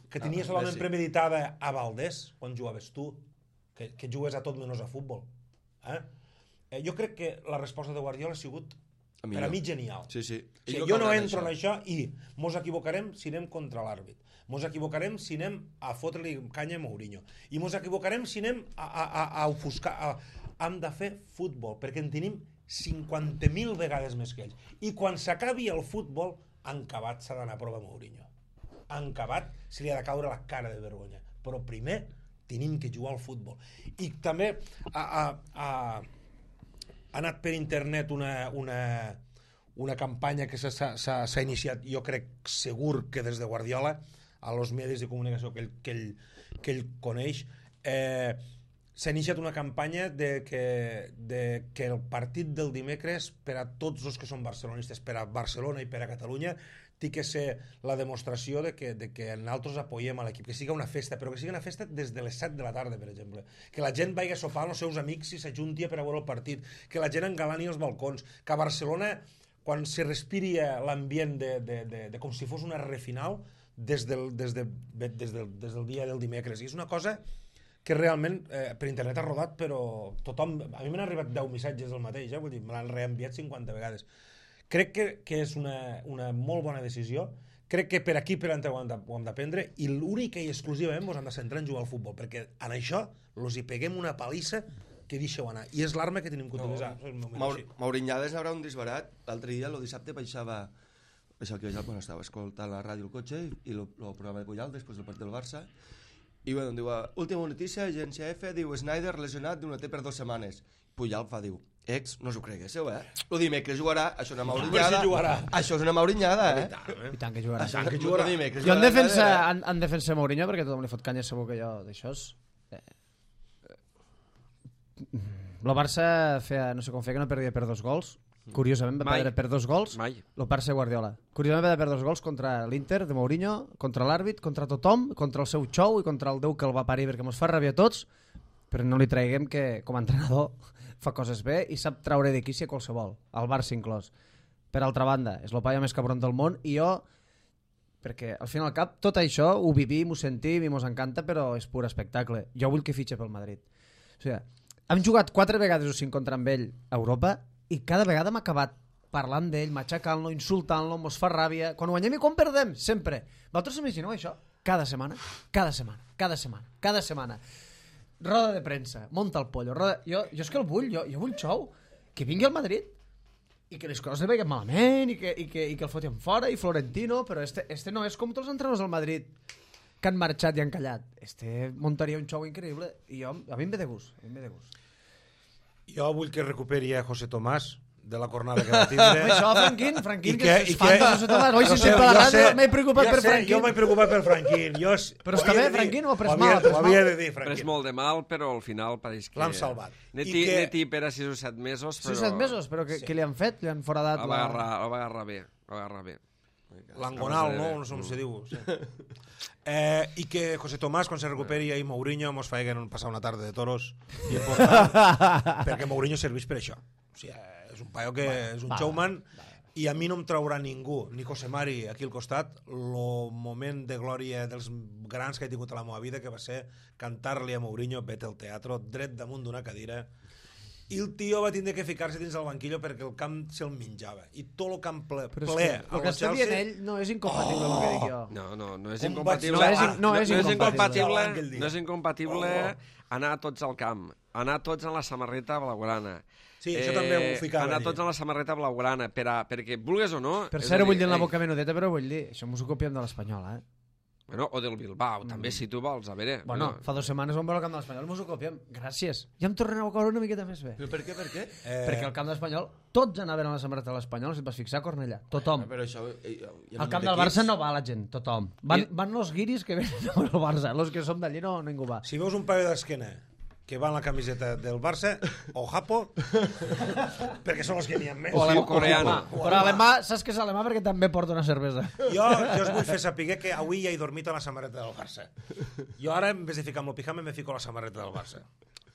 que tenies solament premeditada a Valdés, quan jugaves tu, que jugues a tot menys a futbol. Jo crec que la resposta de Guardiola ha sigut per a mi genial. Sí. O sigui, jo no entro en això i mos equivocarem si anem contra l'àrbit. Mos equivocarem si anem a fotre-li canya a Mourinho. I mos equivocarem si anem a ofuscar... Hem de fer futbol, perquè en tenim 50.000 vegades més que ells. I quan s'acabi el futbol, encabat s'ha d'anar a prova Mourinho. Encabat se li ha de caure la cara de vergonya. Però primer tenim que jugar al futbol. I també ha anat per internet una campanya que s'ha iniciat, jo crec segur que des de Guardiola, a los medis de comunicació que ell coneix, s'ha iniciat una campanya de que el partit del dimecres per a tots els que són barcelonistes, per a Barcelona i per a Catalunya, té que ser la demostració de que nosaltres apoyem a l'equip, que sigui una festa, però que sigui una festa des de les 7 de la tarda, per exemple, que la gent vagi a sopar amb els seus amics i s'ajunti per a veure el partit, que la gent engalani els balcons, que a Barcelona, quan se respiri l'ambient de com si fos una refinal des del dia del dimecres. I és una cosa que realment per internet ha rodat, però tothom... A mi m'han arribat 10 missatges del mateix, vull dir, me l'han reenviat 50 vegades. Crec que és una molt bona decisió. Crec que per aquí per ho hem d'aprendre i l'únic i exclusivament ens hem de centrar en jugar al futbol, perquè en això els hi peguem una palissa que deixeu anar. I és l'arma que tenim que utilitzar. Maurinyades haurà un disbarat. L'altre dia, el dissabte, baixava... Bueno, estava escoltant la ràdio al cotxe i el programa de Puyal després del partit del Barça i bueno, diu, última notícia, agència F, diu Snyder lesionat d'una T per 2 setmanes. Puyal fa, diu, no us ho creguéssiu, El dimecres jugarà, això és una maurinyada. Això és una maurinyada, I tant que jugarà. Jo en defensa Mourinho, perquè tothom li fot canya segur que jo d'això és... El Barça feia, no sé com feia, que no perdia per 2 gols. Curiosament va perdre per 2 gols. Mai. El Barça Guardiola. Curiosament va perdre per 2 gols contra l'Inter de Mourinho, contra l'àrbit, contra tothom, contra el seu xou i contra el Déu que el va parir, perquè mos fa ràbia a tots, però no li traiguem que com a entrenador fa coses bé i sap traure de quici a qualsevol, al Barça inclòs. Per altra banda, és el paio més cabron del món i jo, perquè al fin i al cap tot això ho vivim, ho sentim i mos encanta, però és pur espectacle. Jo vull que fitxe pel Madrid. O sigui, hem jugat 4 vegades o 5 contra ell a Europa i cada vegada m'ha acabat parlant d'ell, matxacant-lo, insultant-lo, mos fa ràbia. Quan guanyem i quan perdem, sempre. Vosaltres imagineu això? Cada setmana. Roda de premsa, monta el pollo. Jo és que el vull, jo vull xou. Que vingui al Madrid i que les coses li veguen malament i que el fotin fora i Florentino, però este no és com tots els entrenadors del Madrid que han marxat i han callat. Montaria un xou increïble i a mi em ve de gust. Jo vull que recuperi a José Tomás de la cornada que va tindre. Això, Franquín, que és fan de José Tomás. Oi, si sempre a la ràdio m'he preocupat per Franquín. Jo m'he preocupat per Franquín. Però està bé, Franquín, ho ha pres mal. Ho havia de dir, Franquín. Pres molt de mal, però al final pareix que... L'han salvat. Neti per a 6 o 7 mesos, però... 6 o 7 mesos, però què li han fet? Li han foradat la... El va agarrar bé. L'angonal, no? No sé com se diu. I que José Tomás, quan se recuperi i Mourinho mos faiguen passar una tarda de toros important, perquè Mourinho serveix per això. O sigui, és un paio que és un showman i a mi no em traurà ningú, ni José Mari aquí al costat, el moment de glòria dels grans que he tingut a la meva vida, que va ser cantar-li a Mourinho Vete al teatro, dret damunt d'una cadira, i el tio va tindre que ficar-se dins el banquillo perquè el camp se'l menjava, i tot el camp ple. Però el que està dient ell no és incompatible amb el que dic jo. No és incompatible. No és incompatible anar tots al camp, anar tots en la samarreta blaugrana. Sí, això també ho ficava. Anar tots en la samarreta blaugrana, perquè vulgues o no... Per cert, ho vull dir en la boca menudeta, però vull dir, això m'ho copiem de l'Espanyol, Bueno, o del Bilbao, també, si tu vols, a veure... Bueno, fa 2 setmanes vam veure el camp de l'Espanyol, m'ho copiem, gràcies. Ja em tornen a caure una miqueta més bé. Però per què? Perquè al camp de l'Espanyol, tots anaven a la samarreta de l'Espanyol, si et vas fixar, Cornellà, tothom. Però això... Al camp del Barça no va la gent, tothom. Van los guiris que venen al Barça, los que som d'allí no ningú va. Si veus un paio d'esquena que va en la camiseta del Barça, o Japo, perquè són els que n'hi ha més. O coreano. Però alemà, saps que és alemà perquè també porta una cervesa. Jo us vull fer saber que avui ja he dormit a la samarreta del Barça. Jo ara, en vez de ficar amb el pijama, me fico a la samarreta del Barça.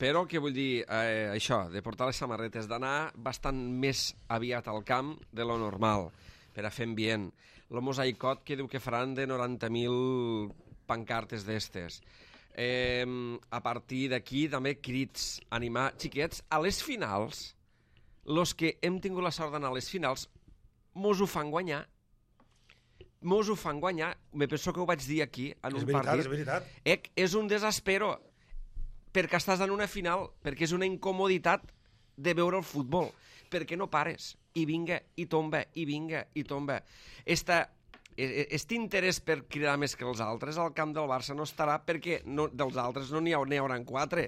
Però, què vull dir, això, de portar les samarretes, d'anar bastant més aviat al camp de lo normal, per a fer ambient. Lo mosaicot que diu que faran de 90.000 pancartes d'estes. A partir d'aquí també crits, animar xiquets a les finals. Los que hem tingut la sort d'anar a les finals mos ho fan guanyar. Me penso que ho vaig dir aquí en un partit. És veritat. És un desespero perquè estàs en una final, perquè és una incomoditat de veure el futbol, perquè no pares i vinga, i tomba, i vinga, i tomba. Este interès per cridar més que els altres al camp del Barça no estarà perquè dels altres no n'hi haurà 4.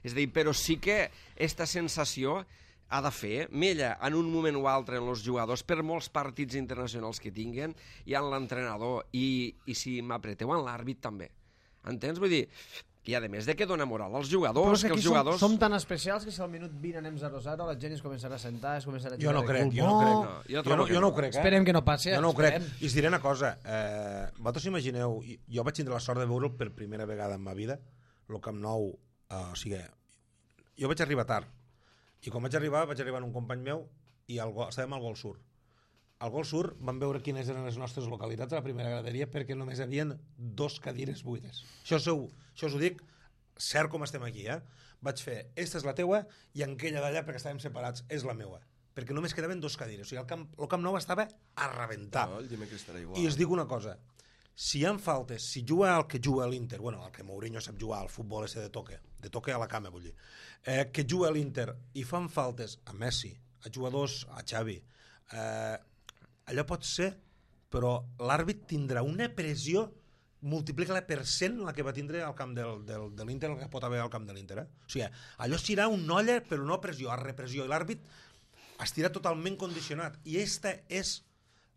És a dir, però sí que aquesta sensació ha de fer mella en un moment o altre en els jugadors per molts partits internacionals que tinguen i en l'entrenador i si m'apreteu en l'àrbit també. Entens? Vull dir, i a més de que dona moral als jugadors, que els jugadors... Som tan especials que si al minut 20 anem 0-0 la gent es començarà a sentar, es començarà a jugar. Jo no ho crec. Esperem que no passi. Jo no ho crec. I us diré una cosa. Vosaltres imagineu, jo vaig tindre la sort de veure'l per primera vegada en ma vida, el Camp Nou, o sigui, jo vaig arribar tard. I quan vaig arribar en un company meu i estàvem al Gol Sur. Al Gol Sur vam veure quines eren les nostres localitats a la primera graderia perquè només hi havia 2 cadires buides. Això us ho dic cert com estem aquí, vaig fer, esta és la teua, i aquella d'allà, perquè estàvem separats, és la meua. Perquè només quedaven 2 cadires. O sigui, el Camp Nou estava a rebentar. No, el dimecres estarà igual. I us dic una cosa, si hi ha faltes, si juga el que juga l'Inter, bueno, el que Mourinho sap jugar al futbol ese de toque a la cama, vull dir, que juga l'Inter i fan faltes a Messi, a jugadors, a Xavi, allò pot ser, però l'àrbit tindrà una pressió, multiplica-la per 100 la que va tindre al camp de l'Inter, el que pot haver al camp de l'Inter. O sigui, allò serà un olla, però no pressió, a repressió, i l'àrbit estirà totalment condicionat. I esta és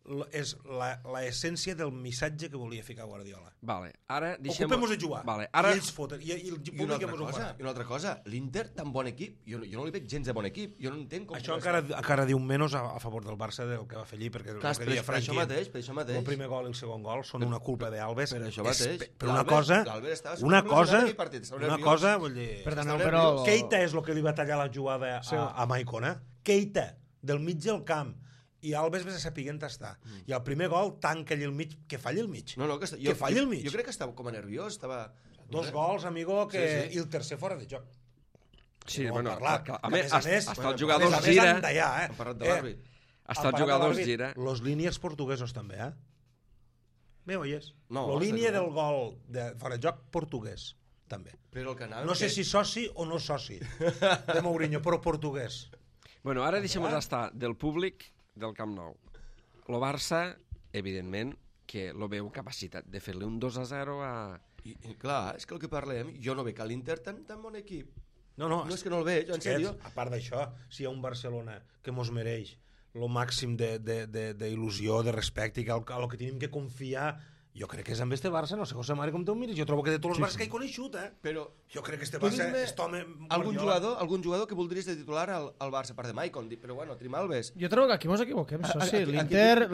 l'essència del missatge que volia ficar Guardiola. Vale, ara Ocupem-nos a jugar. Vale, ara... I ells foten. I el públic ens ho farà. I una altra cosa, l'Inter, tan bon equip, jo no li veig gens de bon equip. Jo no entenc com... Això encara diu menys a favor del Barça del que va fer allí, perquè clar, per això mateix. El primer gol i el segon gol són una culpa d'Alves. Per això mateix. Però una cosa, vull dir... Perdoneu, però... Keita és el que li va tallar la jugada a Maicon, Keita, del mig del camp. I Alves vés a saber on està. I el primer gol tanca allà al mig, que falli al mig. Que falli al mig. Jo crec que estava com a nerviós. 2 gols, amigo, i el tercer fora de joc. Sí, bueno, a més, hasta el jugador gira. Hem parlat de l'àrbit. Hasta el jugador gira. Los línies portuguesos també, Me oyes? No, la línia del gol de fora de joc portuguès, també. Però el canal... No sé si soci o no soci de Mourinho, però portuguès. Bueno, ara deixem-nos estar del públic del Camp Nou. El Barça, evidentment, que lo veu capacitat de fer-li un 2-0 a... I clar, és que el que parlem, jo no veig a l'Inter tan bon equip. No, és que no el veig, en sèrio. A part d'això, si hi ha un Barcelona que mos mereix el màxim d'il·lusió, de respecte, i que el que tenim que confiar, jo crec que és amb este Barça, no sé, José Mari, com tu mires, jo trobo que de tots els Barça que he coneixut, Però jo crec que este Barça és home... Algun jugador que voldries de titular al Barça, a part de Maicon, però bueno, tenim Alves. Jo trobo que aquí mos equivoquem, soci. L'Inter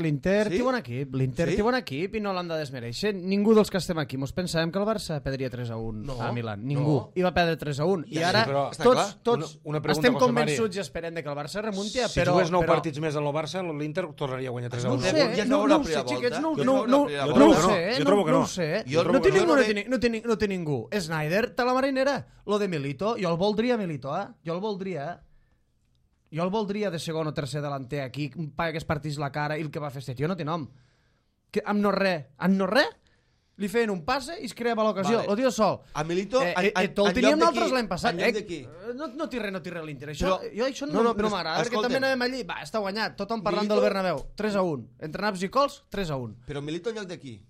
té bon equip, té bon equip i no l'han de desmereixer. Ningú dels que estem aquí mos pensàvem que el Barça perdria 3-1 a Milan. Ningú. I va perdre 3-1. I ara tots estem convençuts i esperem que el Barça remunti, però... Si jugués 9 partits més en el Barça, l'Inter tornaria a guanyar 3-1. No ho sé, xiquets, no ho sé, jo trobo que no. No ho sé. No té ningú. Snyder té la marinera. Lo de Milito, jo el voldria Milito, Jo el voldria, Jo el voldria de segon o tercer delanter aquí, paga que es partís la cara i el que va fer este tio no té nom. Amb no res, li feien un passe i es creava l'ocasió. Lo tio sol. A Milito, el teníem nosaltres l'any passat. En lloc d'aquí. No té res l'Inter. Jo això no m'agrada, perquè també anàvem allí. Va, està guanyat. Tothom parlant del Bernabéu. 3-1. Entre naps i cols, 3-1. Però Milito en lloc d'aquí.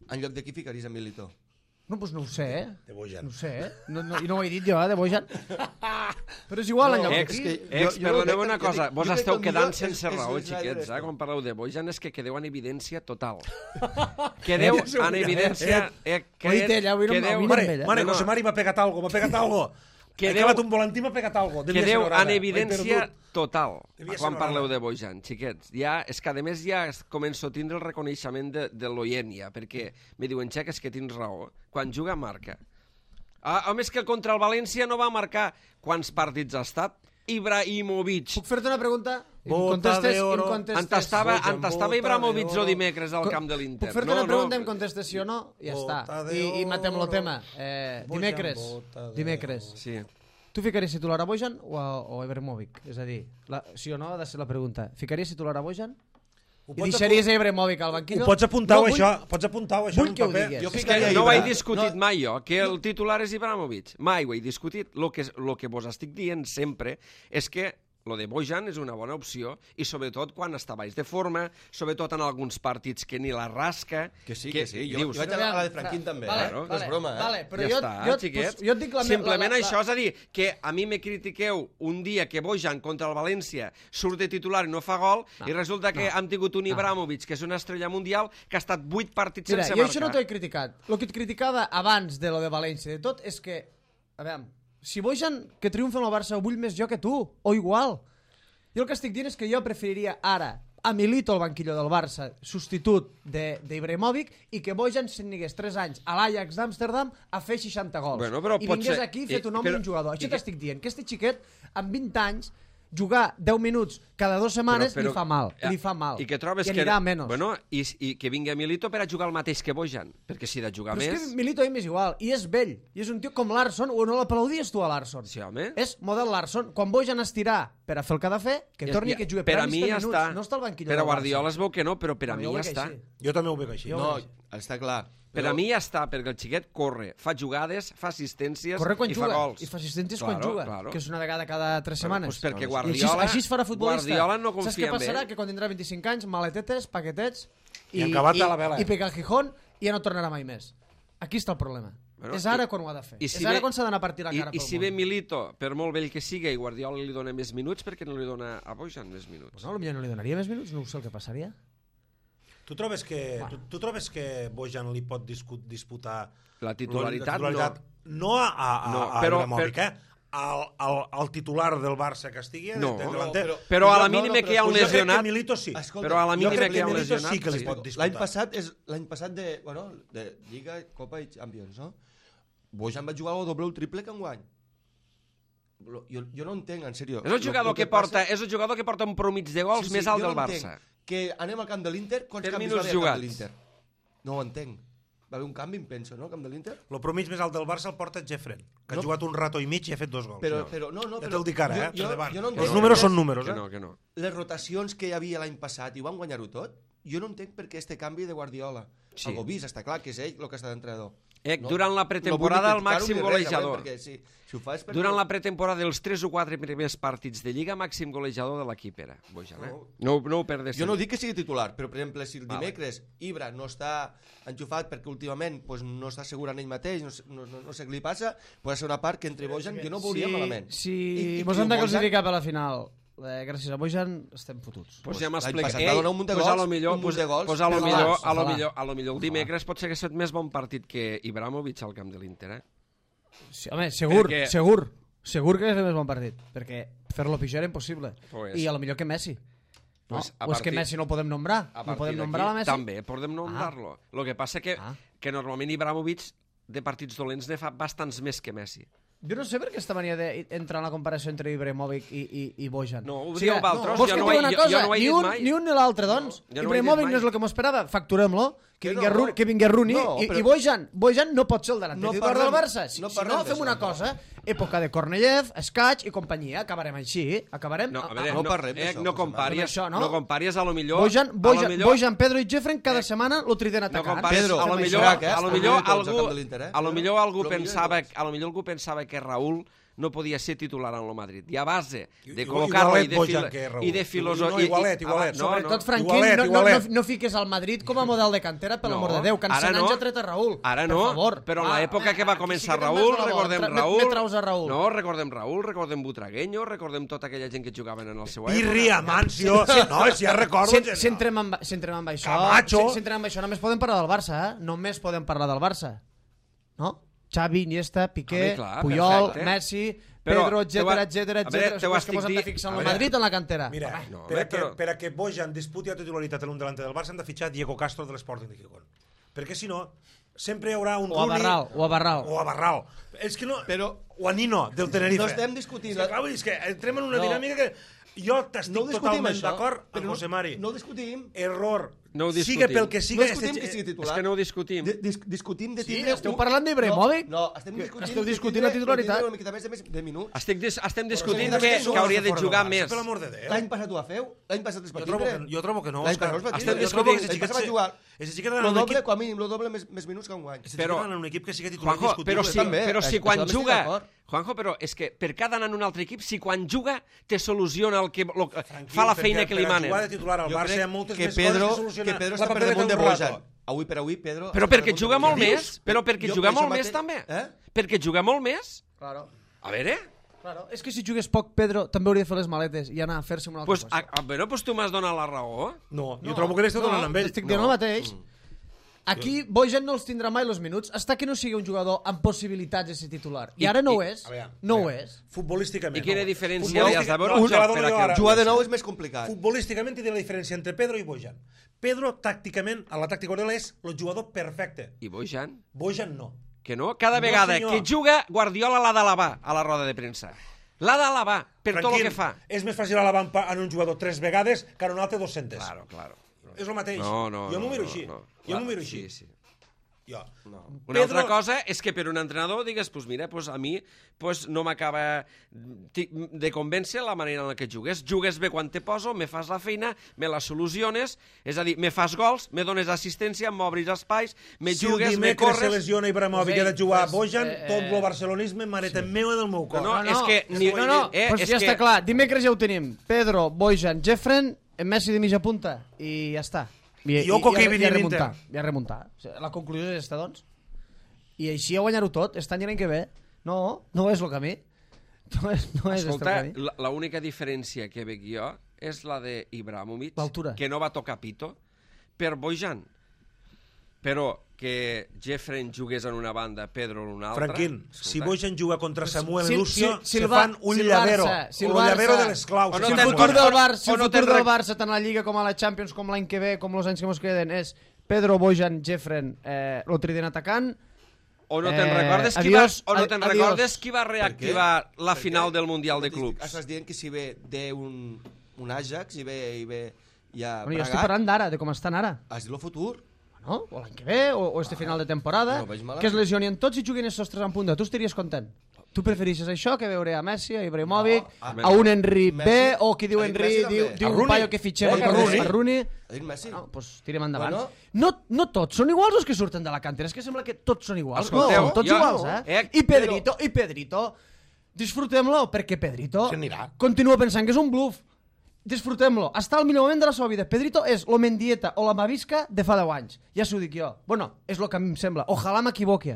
En lloc d'aquí ficaries a Milito. No, doncs no ho sé, De Bojan. No ho sé, I no ho he dit jo, de Bojan. Però és igual, en lloc d'aquí. Perdoneu una cosa, vos esteu quedant sense raó, xiquets, quan parleu de Bojan és que quedeu en evidència total. Quedeu en evidència... Oíte, ella, avui no Mare, José Mari m'ha pegat algo, he acabat un volantí, m'ha pegat algo. Quedeu en evidència total quan parleu de Bojan, xiquets. És que a més ja començo a tindre el reconeixement de l'oient, perquè me diuen, xeques, que tens raó. Quan juga, marca. Home, és que contra el València no va marcar. Quants partits ha estat? Ibrahimovic. Puc fer-te una pregunta? En tastava Ibrahimovic el dimecres al camp de l'Inter. Puc fer-te una pregunta, em contestes sí o no? Ja està. I matem el tema. Dimecres. Sí. Tu ficaries titular a Bojan o a Ibrahimovic? És a dir, sí o no ha de ser la pregunta. Ficaries titular a Bojan? I deixaries a Ibrahimovic al banquillo? Ho pots apuntar-ho, això. Vull que ho digues. No ho he discutit mai jo, que el titular és Ibrahimovic. Mai ho he discutit. El que vos estic dient sempre és que lo de Bojan és una bona opció i sobretot quan està baix de forma, sobretot en alguns partits que ni la rasca. Que sí. Jo vaig a la de Franquín també, no és broma, Ja està, xiquets. Simplement això, és a dir, que a mi me critiqueu un dia que Bojan contra el València surt de titular i no fa gol i resulta que hem tingut un Ibrahimovic, que és una estrella mundial, que ha estat 8 partits sense marcar. Jo això no t'ho he criticat. El que et criticava abans de lo de València de tot és que, a veure, si Bojan, que triomfa amb el Barça, ho vull més jo que tu, o igual. Jo el que estic dient és que jo preferiria ara a Milito al banquillo del Barça, substitut d'Ibrahimovic, i que Bojan se'n anés 3 anys a l'Ajax d'Amsterdam a fer 60 gols. I vingués aquí fet un home i un jugador. Això t'estic dient, que este xiquet, amb 20 anys, jugar 10 minuts cada 2 setmanes Però- li fa mal, li fa mal. I que trobes I que... anirà menos. Bueno, i que vingui Milito per a jugar el mateix que Bojan, perquè si de jugar Però és més... que Milito a mi m'és igual, i és vell, i és un tio com Larsson, o no l'aplaudies tu a Larsson? Sí, home. És model Larsson. Quan Bojan estirà per a fer el que ha de fer, que torni i que jugui per a 30 mi ja minuts, està. no està al banquillo Per a del Barça. Guardiola es veu que no, però per a mi Jo ho ja veig està. així. Jo també ho veig així. No, està clar. Per a mi ja està, perquè el xiquet corre, fa jugades, fa assistències Corre quan i juga, fa gols. i fa assistències quan juga, Claro. que és una vegada cada 3 setmanes. Pues perquè I Guardiola, així es farà futbolista. Guardiola no Saps confia què en passarà? ell. Que quan tindrà 25 anys, maletetes, paquetets, I acabat a la vela. i pegar el Gijón i ja no tornarà mai més. Aquí està el problema. Bueno, és ara quan ho ha de fer. i si És ara ve- quan s'ha d'anar a partir la cara I pel si món. ve Milito, per molt vell que siga, i Guardiola li dona més minuts, per què no li dona a Bojan més minuts? Pues no, potser no li donaria més minuts, no ho sé el que passaria. Tu trobes que Bojan li pot disputar La titularitat, no a però- Ibrahimovic, al titular del Barça que estigui No, de delanter. però a la No, no, mínima però que hi ha un Jo crec que lesionat... Milito sí. Escolta, Però a la jo mínima crec que hi ha un Milito lesionat... sí que li sí. pot disputar. L'any passat de Lliga, Copa i Champions, no? Bojan va jugar el doble o el triple que enguany. Jo no entenc, en sèrio. És el jugador que porta un promig de gols més alt del Barça. Que anem al camp de l'Inter, quants Per canvis minuts va haver al camp de jugats. l'Inter? No ho entenc. Va haver un canvi, em penso, no, al camp de l'Inter? El promig més alt del Barça el porta Jeffren, que ha No. jugat un rato i mig i ha fet 2 gols. No, Ja te'l dic ara, jo per davant. no Els entenc números per què són números, Que no. les rotacions que hi havia l'any passat i ho van guanyar-ho tot, jo no entenc per què este canvi de Guardiola. Sí. Algo vist, està clar que és ell el que està d'entrenador. Durant la pretemporada, el màxim golejador. Perquè si ho fa és perquè... Durant la pretemporada, els 3 o 4 primers partits de Lliga, màxim golejador de l'equip era Bojan, eh? No ho perdes. Jo no dic que sigui titular, però per exemple, si el dimecres Ibra no està enxufat perquè últimament pues, no està segur en ell mateix, no sé què li passa, pot ser una part que entre Bojan jo no ho veuria malament. Si mos hem de classificar per la final, gràcies a Bojan estem fotuts. Pues ja L'any m'explica. passat va donar un munt de gols, un munt de gols. Pues a lo Ojalà. millor el dimecres pot ser que sigui més bon partit que Ibrahimovic al camp de l'Inter, eh? Sí, home, segur Perquè- que és el més bon partit, perquè fer-lo pitjor era impossible. Pues- I a lo millor que Messi. No? Pues a O és que partir- Messi no el podem nombrar? A No partir podem d'aquí nombrar la Messi? també podem nombrar-lo. Lo que passa que normalment Ibrahimovic de partits dolents ne fa bastants més que Messi. Jo no sé per què esta mania d'entrar en la comparació entre Ibrahimovic i Bojan. No, ho dieu vosaltres, vols jo que no et ho he- digui una jo cosa? no ho he Ni dit un, mai. ni un ni l'altre, doncs. Jo no ho he dit Ibrahimovic mai. no és el que m'ho esperava, facturem-lo, que Que vingui Rooney No, i però- Bojan no pot ser el delanter No titular del parlem- Barça. Si no no, parlem fem d'això, una no. cosa, època de Korneyev, Escaig i companyia, acabarem així, acabarem... No, a veure, no parlem d'això, no José comparies, Manuel. Això, no? no comparies a lo millor... Bojan, Pedro i Jeffren cada setmana lo triden No atacant. compares, Pedro, a lo fem millor, això, que a lo està millor molt tots al algú, camp de l'Inter, eh? a lo millor algú Lo millor pensava, tots. a lo millor algú pensava que Raúl no podia ser titular en el Madrid. I a base de Igualet col·locar-lo i de Bojan que Raúl. i de filosofia... No, igualet. Sobretot, Franquín, no fiques al Madrid com a model de cantera, per l'amor de Déu, que en 100 anys ha tret a Raúl. Ara Per no, favor. però en l'època que va començar sí que te'n Raúl, vas a la recordem volta. Raúl... Me traus a Raúl. No, recordem Butragueño, recordem tota aquella gent que jugaven en el seu època. Pirri, Amancio... No, si ja recordo... Si entrem amb això, Camacho. si entrem amb això, només podem parlar del Barça, eh? Només podem parlar del Barça. No? Xavi, Iniesta, Piqué, Home, clar, Puyol, perfecte. Messi, Però Pedro, te ho ha- etcètera. a veure, te ho És que estic mos hem de dient- fixar a en el veure, Madrid o en la cantera. Mira, no, per a que Bojan disputi la titularitat en un delanter del Barça hem de fitxar Diego Castro de l'Sporting de Gijón. Perquè si no, sempre hi haurà un O a Rooney... Barral. O a Barral. És que no... Però- O a Nino, del Tenerife. No estem discutint... És que, clar, vull dir, és que entrem en una No. dinàmica que... Jo No t'estic ho discutim, totalment això, d'acord amb però José Mari. No ho discutim. Error. No ho Sigue discutim. pel que No siga... discutim que sigui És titular. que no ho discutim. Discutim de Sí, tindre... esteu parlant d'Ibrahimovic? No, estem discutint... Esteu de discutint tindre- la titularitat. de tindre una miqueta més de minuts. Estem discutint Però que hauria de jugar més. Per l'amor de Déu. L'any passat ho va fer? L'any passat es va tindre? Jo trobo que no. L'any Òscar. passat es va Estem tindre. discutint- L'any passat va jugar. Ese xiquet Lo en un doble, equip... com a mínim, lo doble més minuts que enguany. Ese Però- xiquet en un equip que siga titular Juanjo, però indiscutible. si, també, però si això quan també estic juga... d'acord. Juanjo, però és que per cada anant en un altre equip, si quan juga te soluciona el que fa la feina que li manen. Per jugar de titular al Jo Barça crec hi ha moltes que més Pedro, coses que solucionar. que Pedro La està per papeleta damunt de d'un rato. Bojan. Avui per avui, Pedro... Però perquè juga molt Què més, dius? però perquè Jo juga per molt això més mateix- també. Perquè juga molt més. Claro. A veure... Claro. És que si jugués poc, Pedro també hauria de fer les maletes i anar a fer-se una altra Pues, cosa. bueno, pues tu m'has donat la raó. No, jo trobo que l'esteu donant amb ell. Estic dient el mateix. Aquí Bojan no els tindrà mai els minuts hasta que no sigui un jugador amb possibilitats de ser titular. I ara no ho és. A veure, No ho a veure, és. Futbolísticament. I quina no. diferència Futbolística- li has de veure no, al te la joc dono per a jo que- ara. Jugar de nou és més complicat. Futbolísticament té la diferència entre Pedro i Bojan. Pedro, tàcticament, a la tàctica Guardiola és el jugador perfecte. I Bojan? Bojan no. Que no? Cada No, vegada senyor. que juga, Guardiola l'ha d'alabar a la roda de premsa. L'ha d'alabar per tot el que fa. És més fàcil alabar en un jugador 3 vegades que en un altre 200. Claro. És el mateix. No, Jo m'ho miro així. no. Jo m'ho miro així. Sí. Jo. Una altra cosa és que per un entrenador digues, pues mira, pues a mi pues no m'acaba de convèncer la manera en què jugues. Jugues bé quan te poso, me fas la feina, me la soluciones, és a dir, me fas gols, me dones assistència, m'obris espais, me jugues, me corres... Si el dimecres se lesiona Ibrahimovic i ha de jugar a Bojan, tot el barcelonisme m'areta meu del meu cor. és que... Pues ja està clar, dimecres ja ho tenim. Pedro, Bojan, Jeffren, Messi de mitja punta, i ja està. I remuntar. La conclusió és aquesta, doncs. I així a guanyar-ho tot, este any i l'any que ve. No és el camí. No és Escolta, el camí. l'única diferència que veig jo és la d'Ibrahimovic, l'altura, que no va tocar pito, per Bojan. Però que Jeffren jugués en una banda, Pedro en una altra... Franquín, si Bojan juga contra Samuel si Lucio, se fan un llavero. Un llavero de les claus. Si el futur del Barça, tant a la Lliga com a la Champions, com l'any que ve, com els anys que ens queden, és Pedro, Bojan, Jeffren, el trident atacant... O no te'n recordes qui va reactivar la final del Mundial de Clubs? Estàs dient que si ve d'un Ajax i ve ja jo estic parlant d'ara, de com estan ara. Has dit el futur? No? O l'any que ve, o este final de temporada, que es lesionien tots i juguin els sostres en punta. Tu estaries content? Tu preferixes això que veure a Messi, a Ibrahimovic, a un Henry B, o qui diu Henry, diu un paio que fitxem a Rooney. No, doncs tirem endavant. No tots són iguals els que surten de la cantera, és que sembla que tots són iguals. No, tots iguals, I Pedrito, disfrutem-lo, perquè Pedrito continua pensant que és un bluff. Disfrutem-lo. Està al millor moment de la seva vida. Pedrito és lo Mendieta o la Mavisca de fa 10 anys. Ja s'ho dic jo. Bueno, és el que a mi em sembla. Ojalà m'equivoqui.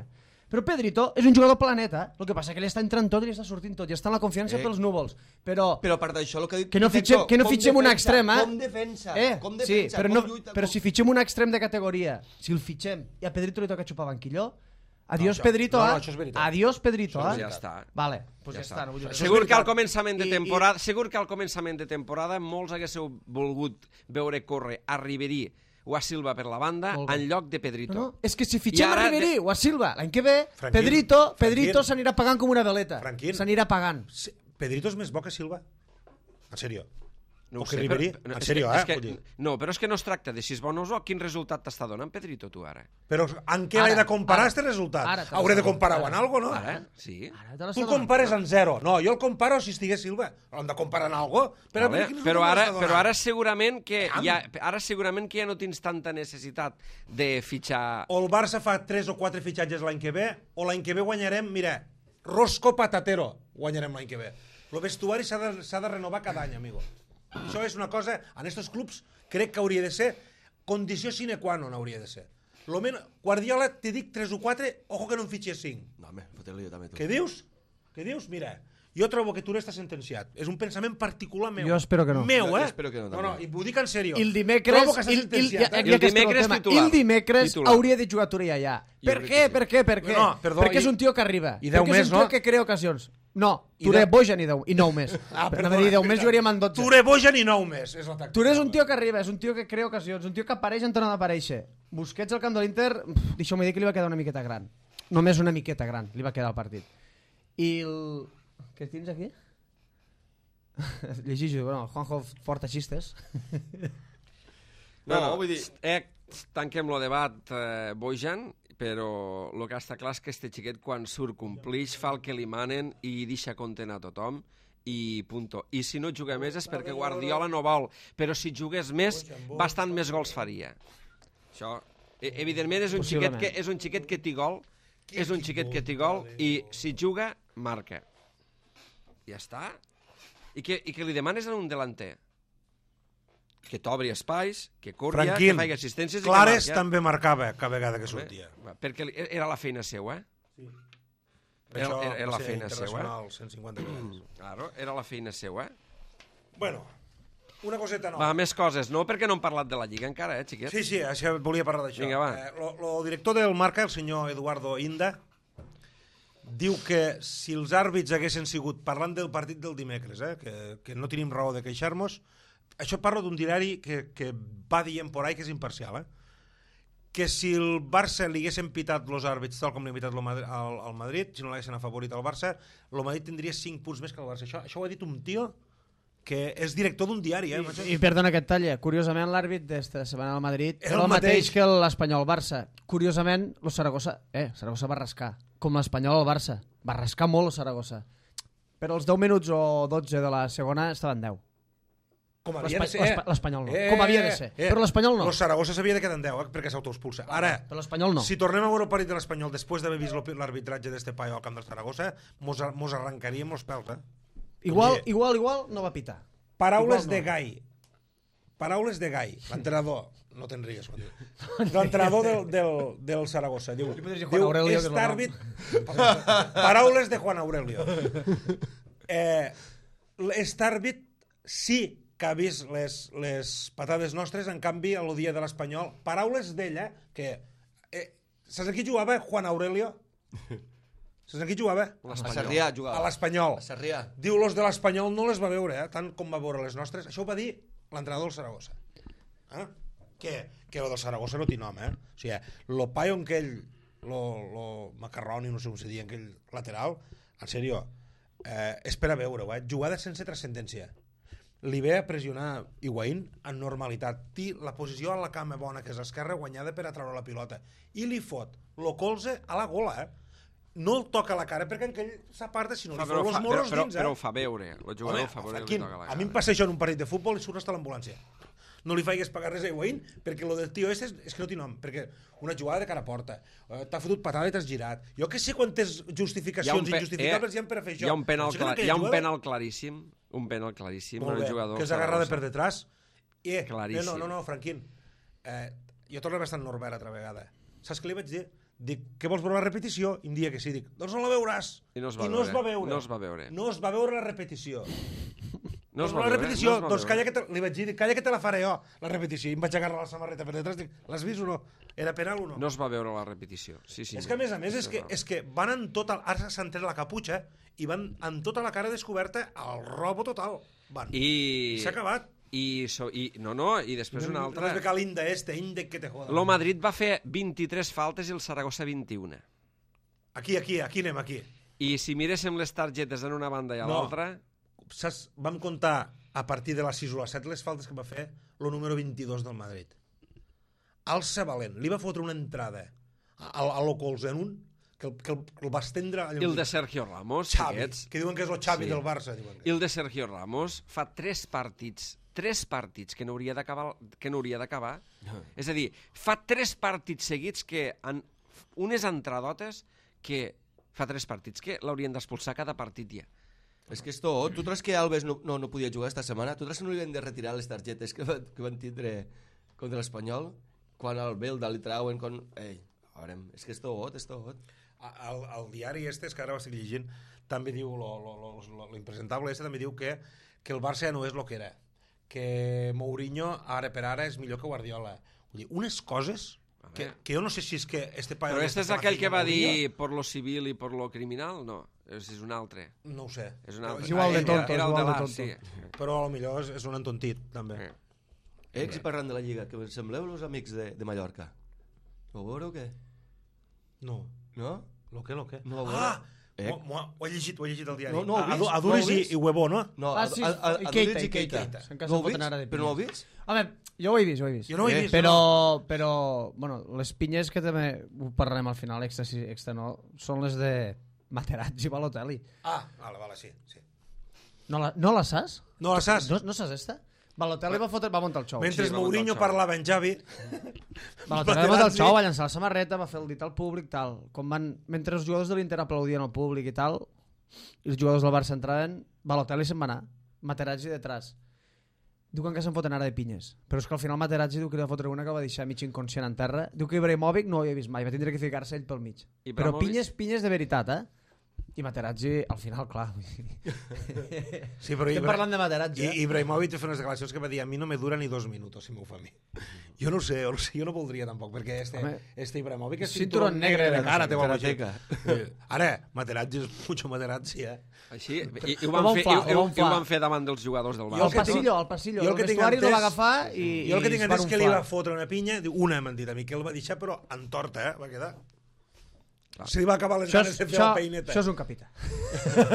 Però Pedrito és un jugador planeta. El que passa que li està entrant tot i li està sortint tot. I està en la confiança pels núvols. Però a part d'això, el que ha dit... Que no fitxem un extrem, Com defensa. Sí, però si fitxem un extrem de categoria, si el fitxem i a Pedrito li toca xupar banquillo, adiós Pedrito, adiós Pedrito, ja està. Vale, doncs ja està. Segur que al començament de temporada molts haguéssiu volgut veure córrer a Ribery o a Silva per la banda en lloc de Pedrito. No, és que si fitxem a Ribery o a Silva l'any que ve, Pedrito s'anirà pagant com una veleta. S'anirà pagant. Pedrito és més bo que Silva? En sèrio? No o que Ribery? En sèrio, No, però és que no es tracta de si és bon o no. Quin resultat t'està donant Pedrito, tu, ara? Però en què l'he de comparar, este resultat? Hauré de comparar-ho en algo, no? Ara, sí. Tu el compares en 0. No, jo el comparo si estigués Silva. L'hem de comparar en algo. Però ara segurament que ja no tens tanta necessitat de fitxar... O el Barça fa 3 o 4 fitxatges l'any que ve, o l'any que ve guanyarem, mira, Rosco Patatero guanyarem l'any que ve. El vestuari s'ha de renovar cada any, amigo. Això és una cosa, en aquests clubs crec que hauria de ser condició sine qua non, hauria de ser. Guardiola, te dic 3 o 4, ojo que no en fitxes 5. No, home, fotre-li jo també. Què dius? Mira, jo trobo que tu n'estàs sentenciat. És un pensament particular meu. Jo espero que no. Meu, espero que no, no, i ho dic en sèrio. I el dimecres... Trobo que estàs sentenciat. El dimecres hauria de jugar Turella ja. Per què? No, perdó. Perquè és un tio que arriba. I 10 més, no? Perquè és un tio que crea ocasions. No, Touré, Bojan i 9 més. Perdona, 10 més jugaríem en 12. Touré, Bojan i 9 més. Touré és un tio que arriba, és un tio que crea ocasions, un tio que apareix en torno d'aparèixer. Busquets al camp de l'Inter, deixeu-me dir que li va quedar una miqueta gran. Només una miqueta gran li va quedar el partit. I el... Què tens aquí? Llegeixo, bueno, Juanjo porta xistes. No, vull dir... Tanquem el debat, Bojan, però el que està clar és que este xiquet quan surt complix, fa el que li manen i deixa content a tothom i punto. I si no juga més és perquè Guardiola no vol, però si jugués més, bastant més gols faria. Això, evidentment, és un xiquet que té gol, i si juga, marca. Ja està. I que li demanes a un delanter? Que t'obri espais, que corria, que faci assistències... Clares també marcava cada vegada que sortia. Perquè era la feina seva, Sí. Era la feina seva. 150 vegades. Claro, era la feina seva. Bueno, una coseta nova. Va, més coses, no? Perquè no hem parlat de la Lliga encara, xiquet? Sí, això volia parlar d'això. Vinga, va. El director del Marca, el senyor Eduardo Inda, diu que si els àrbits haguessin sigut, parlant del partit del dimecres, que no tenim raó de queixar-nos, això parlo d'un diari que va dient por ahí que és imparcial, que si el Barça li haguessin pitat els àrbits tal com li han pitat al Madrid, si no l'haguessin afavorit al Barça, el Madrid tindria 5 punts més que el Barça. Això ho ha dit un tio que és director d'un diari. I perdona que et talle, curiosament l'àrbit d'esta setmana al Madrid era el mateix que l'Espanyol-Barça. Curiosament, el Saragossa va rascar, com l'Espanyol al Barça. Va rascar molt el Saragossa. Però els 10 minuts o 12 de la segona estaven 10. Com havia de ser. L'Espanyol no. Com havia de ser. Però l'Espanyol no. El Saragossa s'havia de quedar en 10 perquè s'autoexpulsa. Ara, però l'Espanyol no. Si tornem a veure el partit de l'Espanyol després d'haver vist l'arbitratge d'este paio al camp del Saragossa, mos arrencaríem els pèls, Igual no va pitar. Paraules de Gai. Paraules de Gai. L'entrenador. No te'n rigues. L'entrenador del Saragossa. Diu, est àrbit... Paraules de Juan Aurelio. Est àrbit sí que ha vist les patades nostres, en canvi, a l'odia de l'Espanyol. Paraules d'ella, que... saps a qui jugava Juan Aurelio? Saps a qui jugava? A Sarrià jugava. A l'Espanyol. A Sarrià. Diu, los de l'Espanyol no les va veure, tant com va veure les nostres. Això ho va dir l'entrenador del Saragossa. Que lo del Saragossa no té nom, O sigui, lo paio en aquell... Lo macarroni, no sé com se diu, en aquell lateral, en sèrio, és per a veure-ho, Jugada sense transcendència. Li ve a pressionar Higuaín en normalitat. Té la posició a la cama bona, que és l'esquerra, guanyada per atraure la pilota. I li fot lo colze a la gola, No el toca a la cara perquè en aquell s'aparta, sinó li fot els morros dins, Però ho fa veure. El jugador ho fa veure que li toca a la cara. A mi em passa això en un partit de futbol i surt hasta l'ambulància. No li faigues pagar res a Higuaín perquè lo del tio és que no té nom, perquè una jugada de cara a porta, t'ha fotut patada i t'has girat. Jo que sé quantes justificacions injustificables hi ha per fer això. Hi ha un penal claríssim, molt bé, que és agarrada per detrás. Claríssim. No, Franquín, jo torno bastant Norbert altra vegada. Saps què li vaig dir? Dic, què vols veure la repetició? I em dia que sí, dic, doncs no la veuràs. I no es va veure. No es va veure la repetició. No es va veure. Doncs calla que li vaig dir, calla que te la faré jo, la repetició. I em vaig agarrar la samarreta per detrás, dic, l'has vist o no? Era penal o no? No es va veure la repetició. Sí, és que a més, és que van en tota... Ara s'han tret la caputxa i van en tota la cara descoberta al robo total. I s'ha acabat. I després una altra... No és becar l'Inda Indec que te joda. Lo Madrid va fer 23 faltes i el Saragossa 21. Aquí anem, aquí. I si miréssim les targetes en una banda i a l'altra... Saps, vam comptar a partir de la 6 o la 7 les faltes que va fer el número 22 del Madrid. Alça Valent, li va fotre una entrada a lo colzenun que el va estendre... I el de Sergio Ramos, Xavi, que diuen que és el Xavi del Barça. I el de Sergio Ramos fa 3 partits que no hauria d'acabar. És a dir, fa 3 partits seguits que unes entradotes que fa 3 partits que l'haurien d'expulsar cada partit ja. És que és tot. Tu treus que Alves no podia jugar esta setmana? Tu treus que no li han de retirar les targetes que van tindre contra l'Espanyol? Quan al Belda li trauen... és que és tot. El diari és que ara ho estic llegint, també diu, l'impresentable també diu que el Barça ja no és el que era, que Mourinho ara per ara és millor que Guardiola. Vull dir, unes coses que jo no sé si és que Però este és aquell que va dir por lo civil i por lo criminal? No, és un altre. No ho sé. És igual de tonto. Era el de l'art, sí. Però potser és un entontit, també. I parlant de la Lliga, que sembleu els amics de Mallorca. Ho veureu o què? No. No? Lo que? No ho veureu? Ho he llegit al diari. No ho he vist. Aduris i Huevo, no? No, sí, Aduris i Keita. No ho vist? Però no ho he vist? Home, jo ho he vist. Jo no ho he vist. Però bueno, les pinyes que també ho parlarem al final, extra no, són les de Materazzi i Balotelli. Vale, sí. No la saps? No la saps? No saps esta? Balotelli va muntar el xou. Mentre Mourinho parlava en Xavi... Balotelli va muntar el xou, va llançar la samarreta, va fer el dit al públic, tal. Mentre els jugadors de l'Inter aplaudien al públic i tal, i els jugadors del Barça entraven, Balotelli se'n va anar. Materazzi detrás. Diuen que se'n foten ara de pinyes. Però és que al final Materazzi diu que li va fotre una que va deixar mig inconscient en terra. Diu que Ibrahimovic no ho havia vist mai, va tindre que ficar-se ell pel mig. Però pinyes de veritat, I Materazzi, al final, clar. Sí, però Estem parlant de Materazzi, Ibrahimovic va fer unes declaracions que va dir a mi no me dura ni 2 minuts si m'ho fa a mi. Jo no ho sé, jo no voldria tampoc, perquè este Ibrahimovic és cinturón negre de cara, té bona Karateka. Ara, Materazzi és mucho Materazzi, Així, i ho van fer davant dels jugadors del Al Barça. passillo. jo el El que tinc vestuari no va entès- agafar i Jo el que tinc es va entès és que li va unflar. fotre una pinya, diu, una m'han dit a mi, que el va deixar, però en torta, va quedar. Se li va acabar les ganes de fer la peineta. Això és un capità.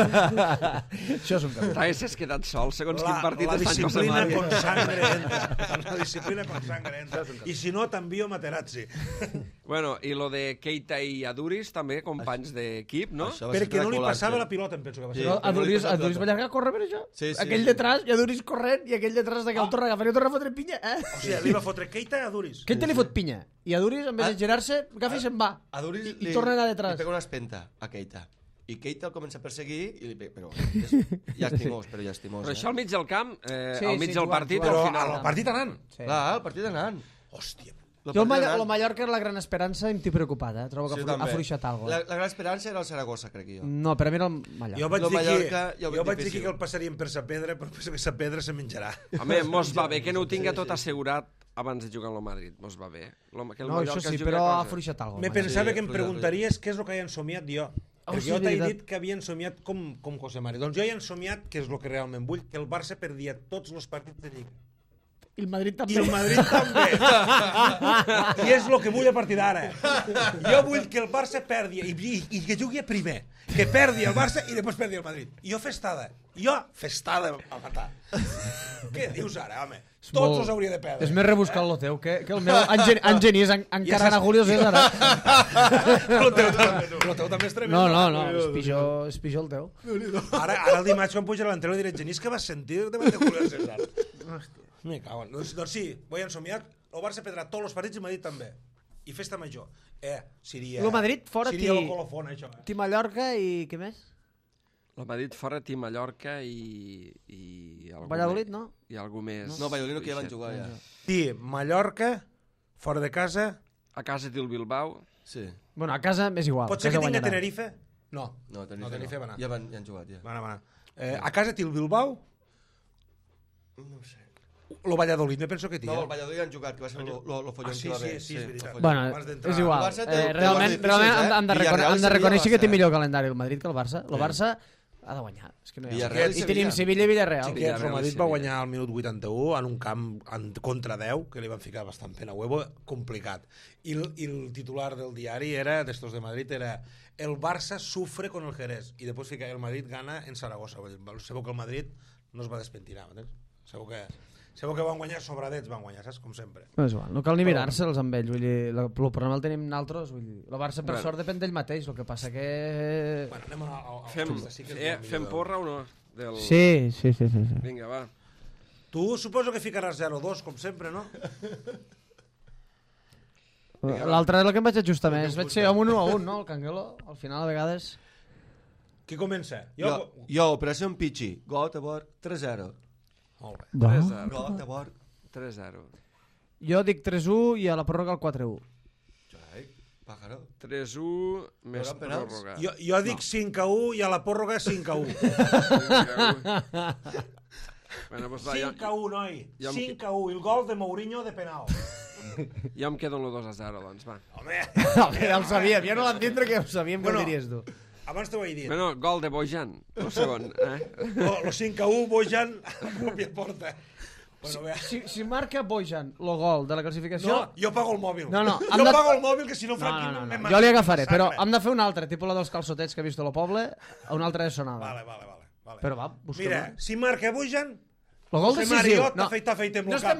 Això és un capità. T'haguessis quedat sol, segons quin partit la està en José disciplina Mario. con sangre entra. La disciplina con sangre entra. I si no, t'envio Materazzi. Bueno, i lo de Keita i Aduris, també, companys d'equip, no? Això va ser Perquè no li espectacular, passava sí. la pilota, em penso que va ser. Sí. No, Aduris va allargar a córrer per això? Sí, sí, Aquell sí. detrás, i Aduris corrent, i aquell detrás de que el torna a agafar i el torna a fotre pinya. O sigui, li va fotre Keita a Duris. Keita li fot pinya, i Aduris, en vez de girar-se, agafa i se'n va. A Duris I torna a anar detrás. li pega una espenta a Keita. I Keita el comença a perseguir i li pega... Però llastimós, però llastimós. Però això al mig del camp, Sí, al mig sí, del jugant, partit, jugant. Però al final... al partit anant. Sí. Clar, el partit anant. Hòstia. Jo el Mallorca era la gran esperança i em tinc preocupat, eh? Trobo que Sí, ha també. fluixat alguna La gran esperança era el Saragossa, crec jo. No, per a mi era el Mallorca. Jo vaig Lo dir Mallorca ja ho veig jo vaig dir difícil. que el passaríem per sa pedra, però penso que sa pedra se menjarà. Home, mos va bé que no ho tinga tot assegurat abans de jugar amb el Madrid, mos va bé. Que el No, això Mallorca sí, jugui però a ha cosa. fluixat alguna Me cosa. pensava Sí, que em fluixat, preguntaries què és el que he somiat jo. Perquè sí, jo t'he veritat. dit que havien somiat com José Mari. Doncs jo he somiat, que és el que realment vull, que el Barça perdia tots els partits de Lliga. I el Madrid I també. el Madrid també. I és el que vull a partir d'ara. Jo vull que el Barça perdi i que jugui a primer. Que perdi el Barça i després perdi el Madrid. I jo festada. A matar. Què dius ara, home? Tots els hauria de perdre. És més rebuscat el teu, que el meu engenís encarant a Julio César. El teu també és tremendo. No, és pitjor el teu. Ara el dimarts quan puja l'entreno diré, Genís, que vas sentir davant de Julio César? Me cago en... Doncs sí, vull ensomiar, el Barça perdrà tots els partits i Madrid també. I festa major. Seria... El Madrid fora seria el colofon, això. Ti Mallorca i què més? El Madrid fora, Tim Mallorca i algú Valladolid, més. no? I algú més. No, Valladolid no, que ja van jugar ja. Sí, Mallorca, fora de casa... A casa té el Bilbao. Sí. Bueno, a casa m'és igual. Pot ser que casa tingui guanyarà. Tenerife? No. No, Tenerife va anar. Ja han jugat, ja. Va anar. A casa té el Bilbao, No ho sé. el Valladolid, me penso que té. No, el Valladolid han jugat, que va ser lo follon sí, que va haver. sí, és veritat. lo follon. Bueno, Abans d'entrar. és igual. El Barça té- Realment, té guarda difícils, han de Villarreal seria reconèixer que té Barça, millor calendari el Madrid que el Barça. El Barça ha de guanyar. És que no hi ha... Villarreal I i tenim Sevilla i Villarreal. Xiquets, el Villarreal, Madrid sí, va sí. guanyar al minut 81 en un camp contra 10, que li van ficar bastant pena huevo, complicat. I el titular del diari era, d'estos de Madrid, era el Barça sufre con el Jerez. I després fica el Madrid gana en Saragossa. Segur que el Madrid no es va despentinar, ¿entens? Segur que van guanyar sobradets, van guanyar, saps? Com sempre. No, és igual. No cal ni mirar-se'ls amb ells. Vull dir, el problema el tenim nosaltres. Vull dir, el Barça, per sort, depèn d'ell mateix. El que passa que... Bueno, anem al Fem, sí que és el millor fem del- porra o no? Sí. Vinga, va. Tu suposo que ficaràs 0-2, com sempre, no? L'altre és el que em vaig ajustar més. Vaig ser amb un 1-1, no? El Canguelo. Al final, a vegades... Qui comença? Jo, Operació Pichi, Göteborg, 3-0. Molt bé. 3-0. Göteborg. 3-0. Jo dic 3-1 i a la pròrroga el 4-1. Ai, pájaro. 3-1 més Hauran penals? pròrroga. Jo dic 5-1 i a la pròrroga 5-1. Bueno, doncs va, 5-1, noi. ja em- 5-1. El gol de Mourinho de penal. ja em quedo en el 2-0, doncs, va. Home, Ja ho sabíem, ja no l'entendre que ho sabíem que Bueno. ho diries tu. abans t'ho he dit. Bueno, gol de Bojan, el segon. Lo 5-1, Bojan, còpia porta. Bueno, vea. Si marca Bojan el gol de la classificació... No, jo pago el mòbil. No, hem Jo de- pago el mòbil, que si no, No, Franqui no, me no. mata. Jo li agafaré, però hem de fer un altre, tipus la dels calçotets que he vist a lo poble, a un altre de sonada. Vale. Però va, busquem. Mira, si marca Bojan, El gol José decisiu. Mario t'afeitem el cap.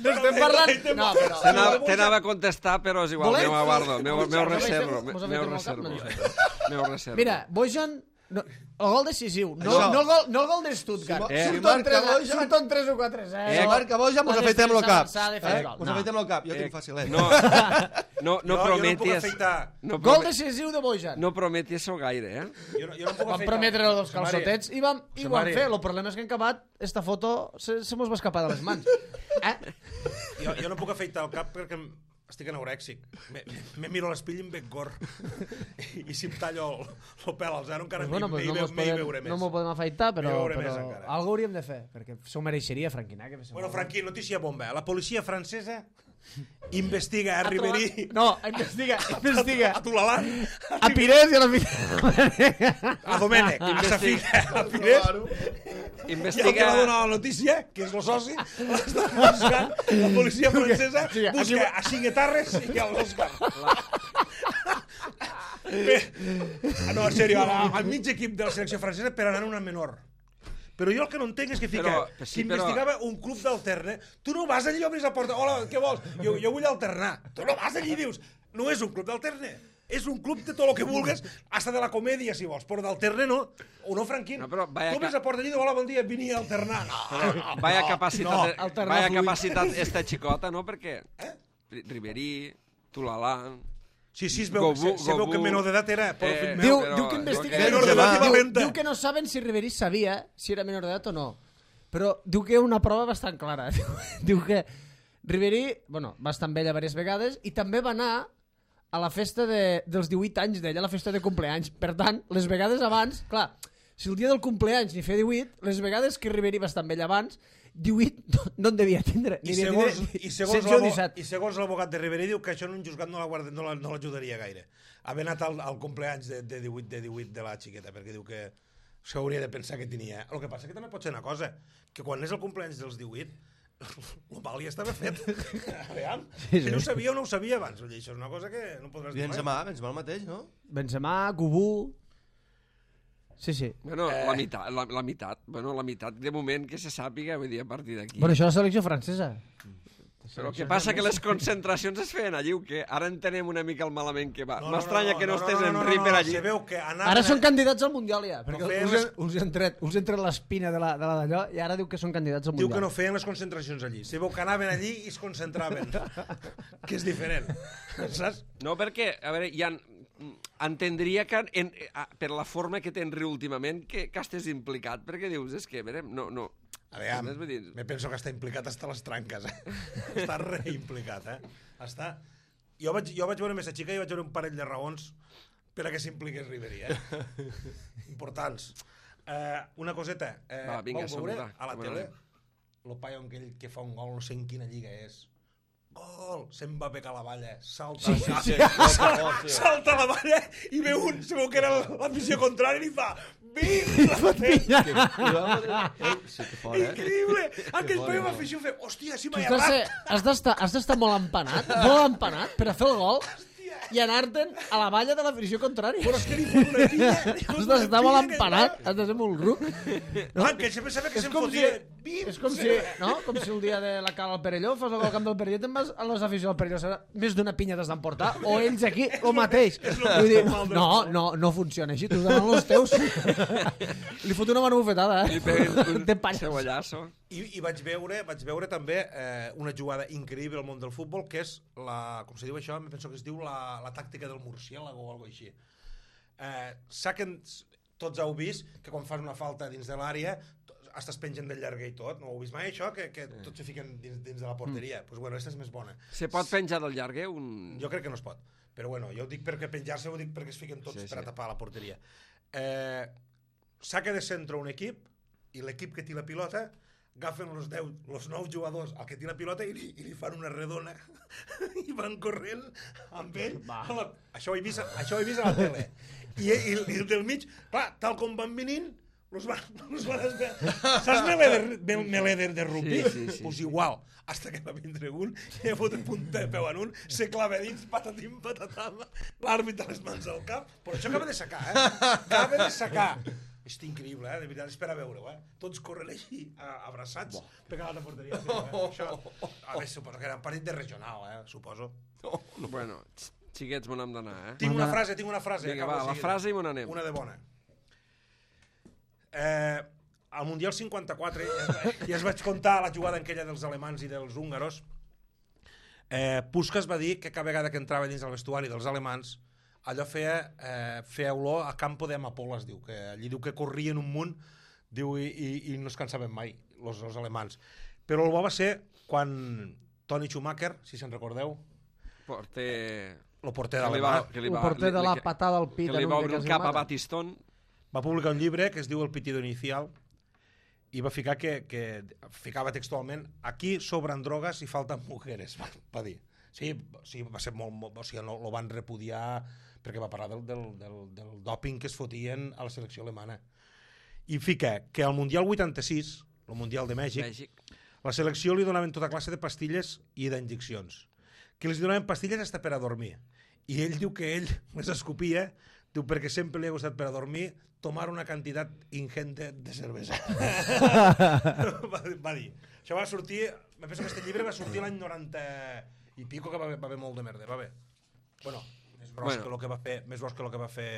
No estem parlant... No, però... T'anava a contestar, però és igual, Volem? meu aguardo, meu Mos reservo. afeitem Meu el cap? reservo. No, Meu reservo. Mira, Bojan... No, el gol decisiu, no Això. el gol de Stuttgart. Si marca Bojan- Surten 3 o 4 0. Marca Bojan, mos afeitem el cap. Mos Mos afeitem el cap, jo tinc fàcil, No Jo no puc prometis... afeitar. Gol decisiu de Bojan. No prometis això gaire, eh? Jo no puc Vam afeitar. prometre els José Mari, calçotets i ho vam Mari. fer. El problema és que en acabat esta foto se mos va escapar de les mans. Jo no puc afeitar el cap perquè estic anorèxic. Me miro a l'espill i em veig gor. I si em tallo el pèl al zero encara Pues m'hi veuré més. no m'ho podem afaitar, però més encara. algo hauríem de fer, perquè s'ho mereixeria, Franquina. Bueno, Franquí, notícia bomba. La policia francesa investiga a Ribery... No, investiga. A Tulalan. A Pires i a la A Domènec. A Safina. A Pires. I el que va donar la notícia, que és el soci, l'està buscant, la policia francesa busca a Cinguetarres i l'Òscar. No, en sèrio, al mig equip de la selecció francesa per anar a una menor. Però jo el que no entenc és que fica que investigava un club d'alterne. Tu no vas allí i obris la porta. Hola, què vols? Jo vull alternar. Tu no vas allí i dius, no és un club d'alterne. És un club de tot el que vulgues, hasta de la comèdia, si vols. Però d'alterne no. O no, Franquín? No, però tu obris la porta allí i dius, hola, bon dia, vini a alternar. Vaya capacitat esta xicota, no? Perquè Ribery, Tulalan... Sí, es veu que menor d'edat era... Diu que investiga... Diu que no saben si Ribery sabia si era menor d'edat o no. Però diu que hi ha una prova bastant clara. Diu que Ribery, bueno, va estar amb ella diverses vegades i també va anar a la festa dels 18 anys d'ella, a la festa de compleanys. Per tant, les vegades abans... Clar, si el dia del compleanys n'hi feia 18, les vegades que Ribery va estar amb ella abans, 18 no en devia tindre. I segons l'advocat de Ribery diu que això en un juzgat no l'ajudaria gaire. Haver anat al compleanys de 18 de la xiqueta, perquè diu que s'hauria de pensar que tenia. El que passa que també pot ser una cosa, que quan és el compleanys dels 18, el mal ja estava fet. Aviam, si no ho sabia o no ho sabia abans. Això és una cosa que no podràs dir mai. Benzema el mateix, no? Benzema, Gubú... Sí. Bueno, la meitat. Bueno, la meitat, de moment, que se sàpiga, vull dir, a partir d'aquí. Bueno, això és la selecció francesa. Però què passa? Que les concentracions es feien allí, o què? Ara entenem una mica el malament que va. M'estranya que no estés en Ripper allí. Ara són candidats al Mundial, ja. Perquè us han tret l'espina de la d'allò i ara diu que són candidats al Mundial. Diu que no feien les concentracions allí. Se veu que anaven allí i es concentraven. Que és diferent. Saps? No, perquè, a veure, hi ha... Entendria que per la forma que té Henry últimament que estés implicat, perquè dius, és que, a veure, no... Aviam, me penso que està implicat hasta les tranques, Està reimplicat, Està... Jo vaig veure més a xica i vaig veure un parell de raons per a que s'impliqués Ribery, Importants. Una coseta. Va, vinga, vau veure a la tele el paio aquell que fa un gol, no sé en quina lliga és. Gol! Se'n va pegar la valla, salta salta la valla i veu se veu que era l'afició contrària i li fa increïble! Aquell paio m'afició fer, hòstia, si m'ha errat! Has d'estar molt empanat per a fer el gol i anar-te'n a la valla de l'afició contrària. Però és que li fot una pilla. Has d'estar molt empanat, has de ser molt ruc. Que ell sempre sabia que se'n fotia. És com si el dia de la Cala al Perelló fos el camp del Perelló, te'n vas a les aficions del Perelló, més d'una pinya t'has d'emportar, o ells aquí el mateix. No funciona així, tu donen els teus. Li fot una mano bufetada, Li peguen un cebollazo. I vaig veure també una jugada increïble al món del futbol, que és com se diu això, em penso que es diu la tàctica del murciélago o alguna cosa així. Tots heu vist que quan fas una falta dins de l'àrea es pengen del llarguer i tot, no ho heu vist mai això? Que tots se fiquen dins de la porteria. Doncs bueno, aquesta és més bona. Se pot penjar del llarguer? Jo crec que no es pot, però bueno, jo ho dic perquè penjar-se ho dic perquè es fiquen tots per a tapar la porteria. Saca de centre un equip i l'equip que té la pilota agafen els 9 jugadors al que té la pilota i li fan una redona i van corrent amb ell. Això ho he vist a la tele. I el del mig, clar, tal com van venint, los van saps melé de rugby? Pues igual, hasta que va vindre un i ha fotut punta de peu en un, se clava dins, patatim, patatam, l'àrbitre les mans al cap, però això acaba de sacar, acaba de sacar. És increïble, de veritat, és per a veure-ho, Tots corren així, abraçats, pegant a la porteria. A veure, suposo que era un partit de regional, suposo. Bueno, xiquets, m'on hem d'anar, Tinc una frase. Vinga, va, la frase i m'on anem. Una de bona. Al Mundial 54, ja es vaig contar la jugada aquella dels alemans i dels húngaros, Puskás va dir que cada vegada que entrava dins el vestuari dels alemans allò feia olor a campo de amapoles, diu, que allí diu que corrien un munt, diu, i no es cansaven mai, els alemans. Però el bo va ser quan Toni Schumacher, si se'n recordeu, porter... el porter Que de li la va- mà, que li El va- porter de la patada al pit que li en va un obrir de el cap a Casimata. Batistón. va publicar un llibre que es diu El pitido inicial i va ficar que ficava textualment aquí sobran drogues i falten mujeres, va dir. Sí, va ser molt o sigui, lo van repudiar perquè va parlar del dòping que es fotien a la selecció alemana. I fica que al Mundial 86, el Mundial de Mèxic, la selecció li donaven tota classe de pastilles i d'injeccions. Que els donaven pastilles hasta per a dormir. I ell diu que ell les escopia, diu, perquè sempre li ha gustat per a dormir tomar una quantitat ingente de cervesa. va dir. Això va sortir, me penso que aquest llibre va sortir l'any 90 i pico, que va haver molt de merda. Va bé. Bueno, més gros que el que va fer, més gros que el que va fer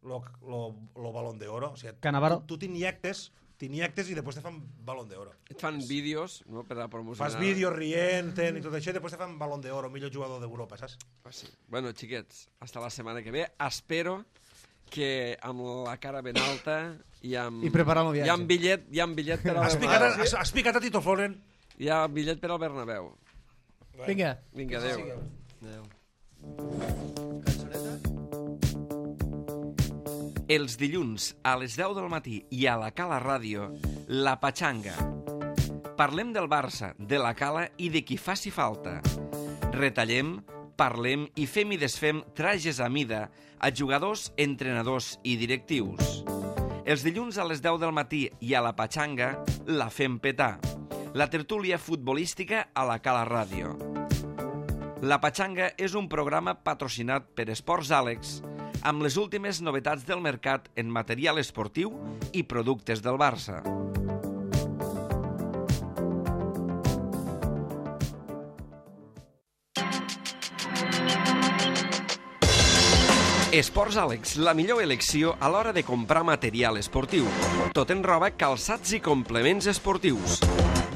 lo Balón de Oro. O sigui, Cannavaro. tu t'injectes i després te fan Balón de Oro. Et fan vídeos, no?, per a promocionar. Fas vídeos rient-te'n i tot això i després te fan Balón de Oro, millor jugador d'Europa, saps? Sí. Bueno, xiquets, hasta la setmana que ve. Espero que amb la cara ben alta i amb... I preparant el viatge. Hi ha bitllet per al Bernabéu. Has picat a Tito Floren? Hi ha bitllet per al Bernabéu. Vinga. Vinga, adéu. Adéu. Cançoneta? Els dilluns a les 10 del matí i a la Cala Ràdio, La Patxanga. Parlem del Barça, de la Cala i de qui faci falta. Retallem, parlem i fem i desfem trajes a mida a jugadors, entrenadors i directius. Els dilluns a les 10 del matí i a La Patxanga la fem petar. La tertúlia futbolística a la Cala Ràdio. La Patxanga és un programa patrocinat per Esports Àlex amb les últimes novetats del mercat en material esportiu i productes del Barça. Esports Àlex, la millor elecció a l'hora de comprar material esportiu. Tot en roba, calçats i complements esportius.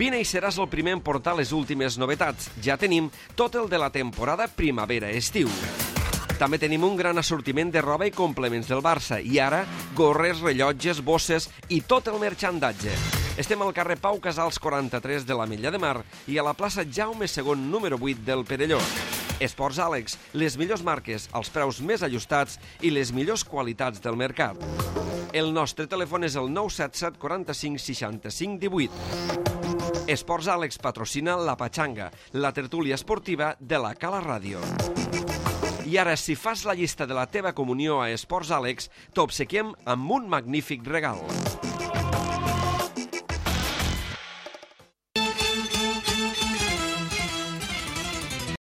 Vine i seràs el primer en portar les últimes novetats. Ja tenim tot el de la temporada primavera-estiu. També tenim un gran assortiment de roba i complements del Barça i ara gorres, rellotges, bosses i tot el merchandatge. Estem al carrer Pau Casals 43 de l'Ametlla de Mar i a la plaça Jaume II número 8 del Perelló. Esports Àlex, les millors marques, els preus més ajustats i les millors qualitats del mercat. El nostre telèfon és el 977 45 65 18. Esports Àlex patrocina La Patxanga, la tertúlia esportiva de la Cala Ràdio. I ara, si fas la llista de la teva comunió a Esports Àlex, t'obsequiem amb un magnífic regal.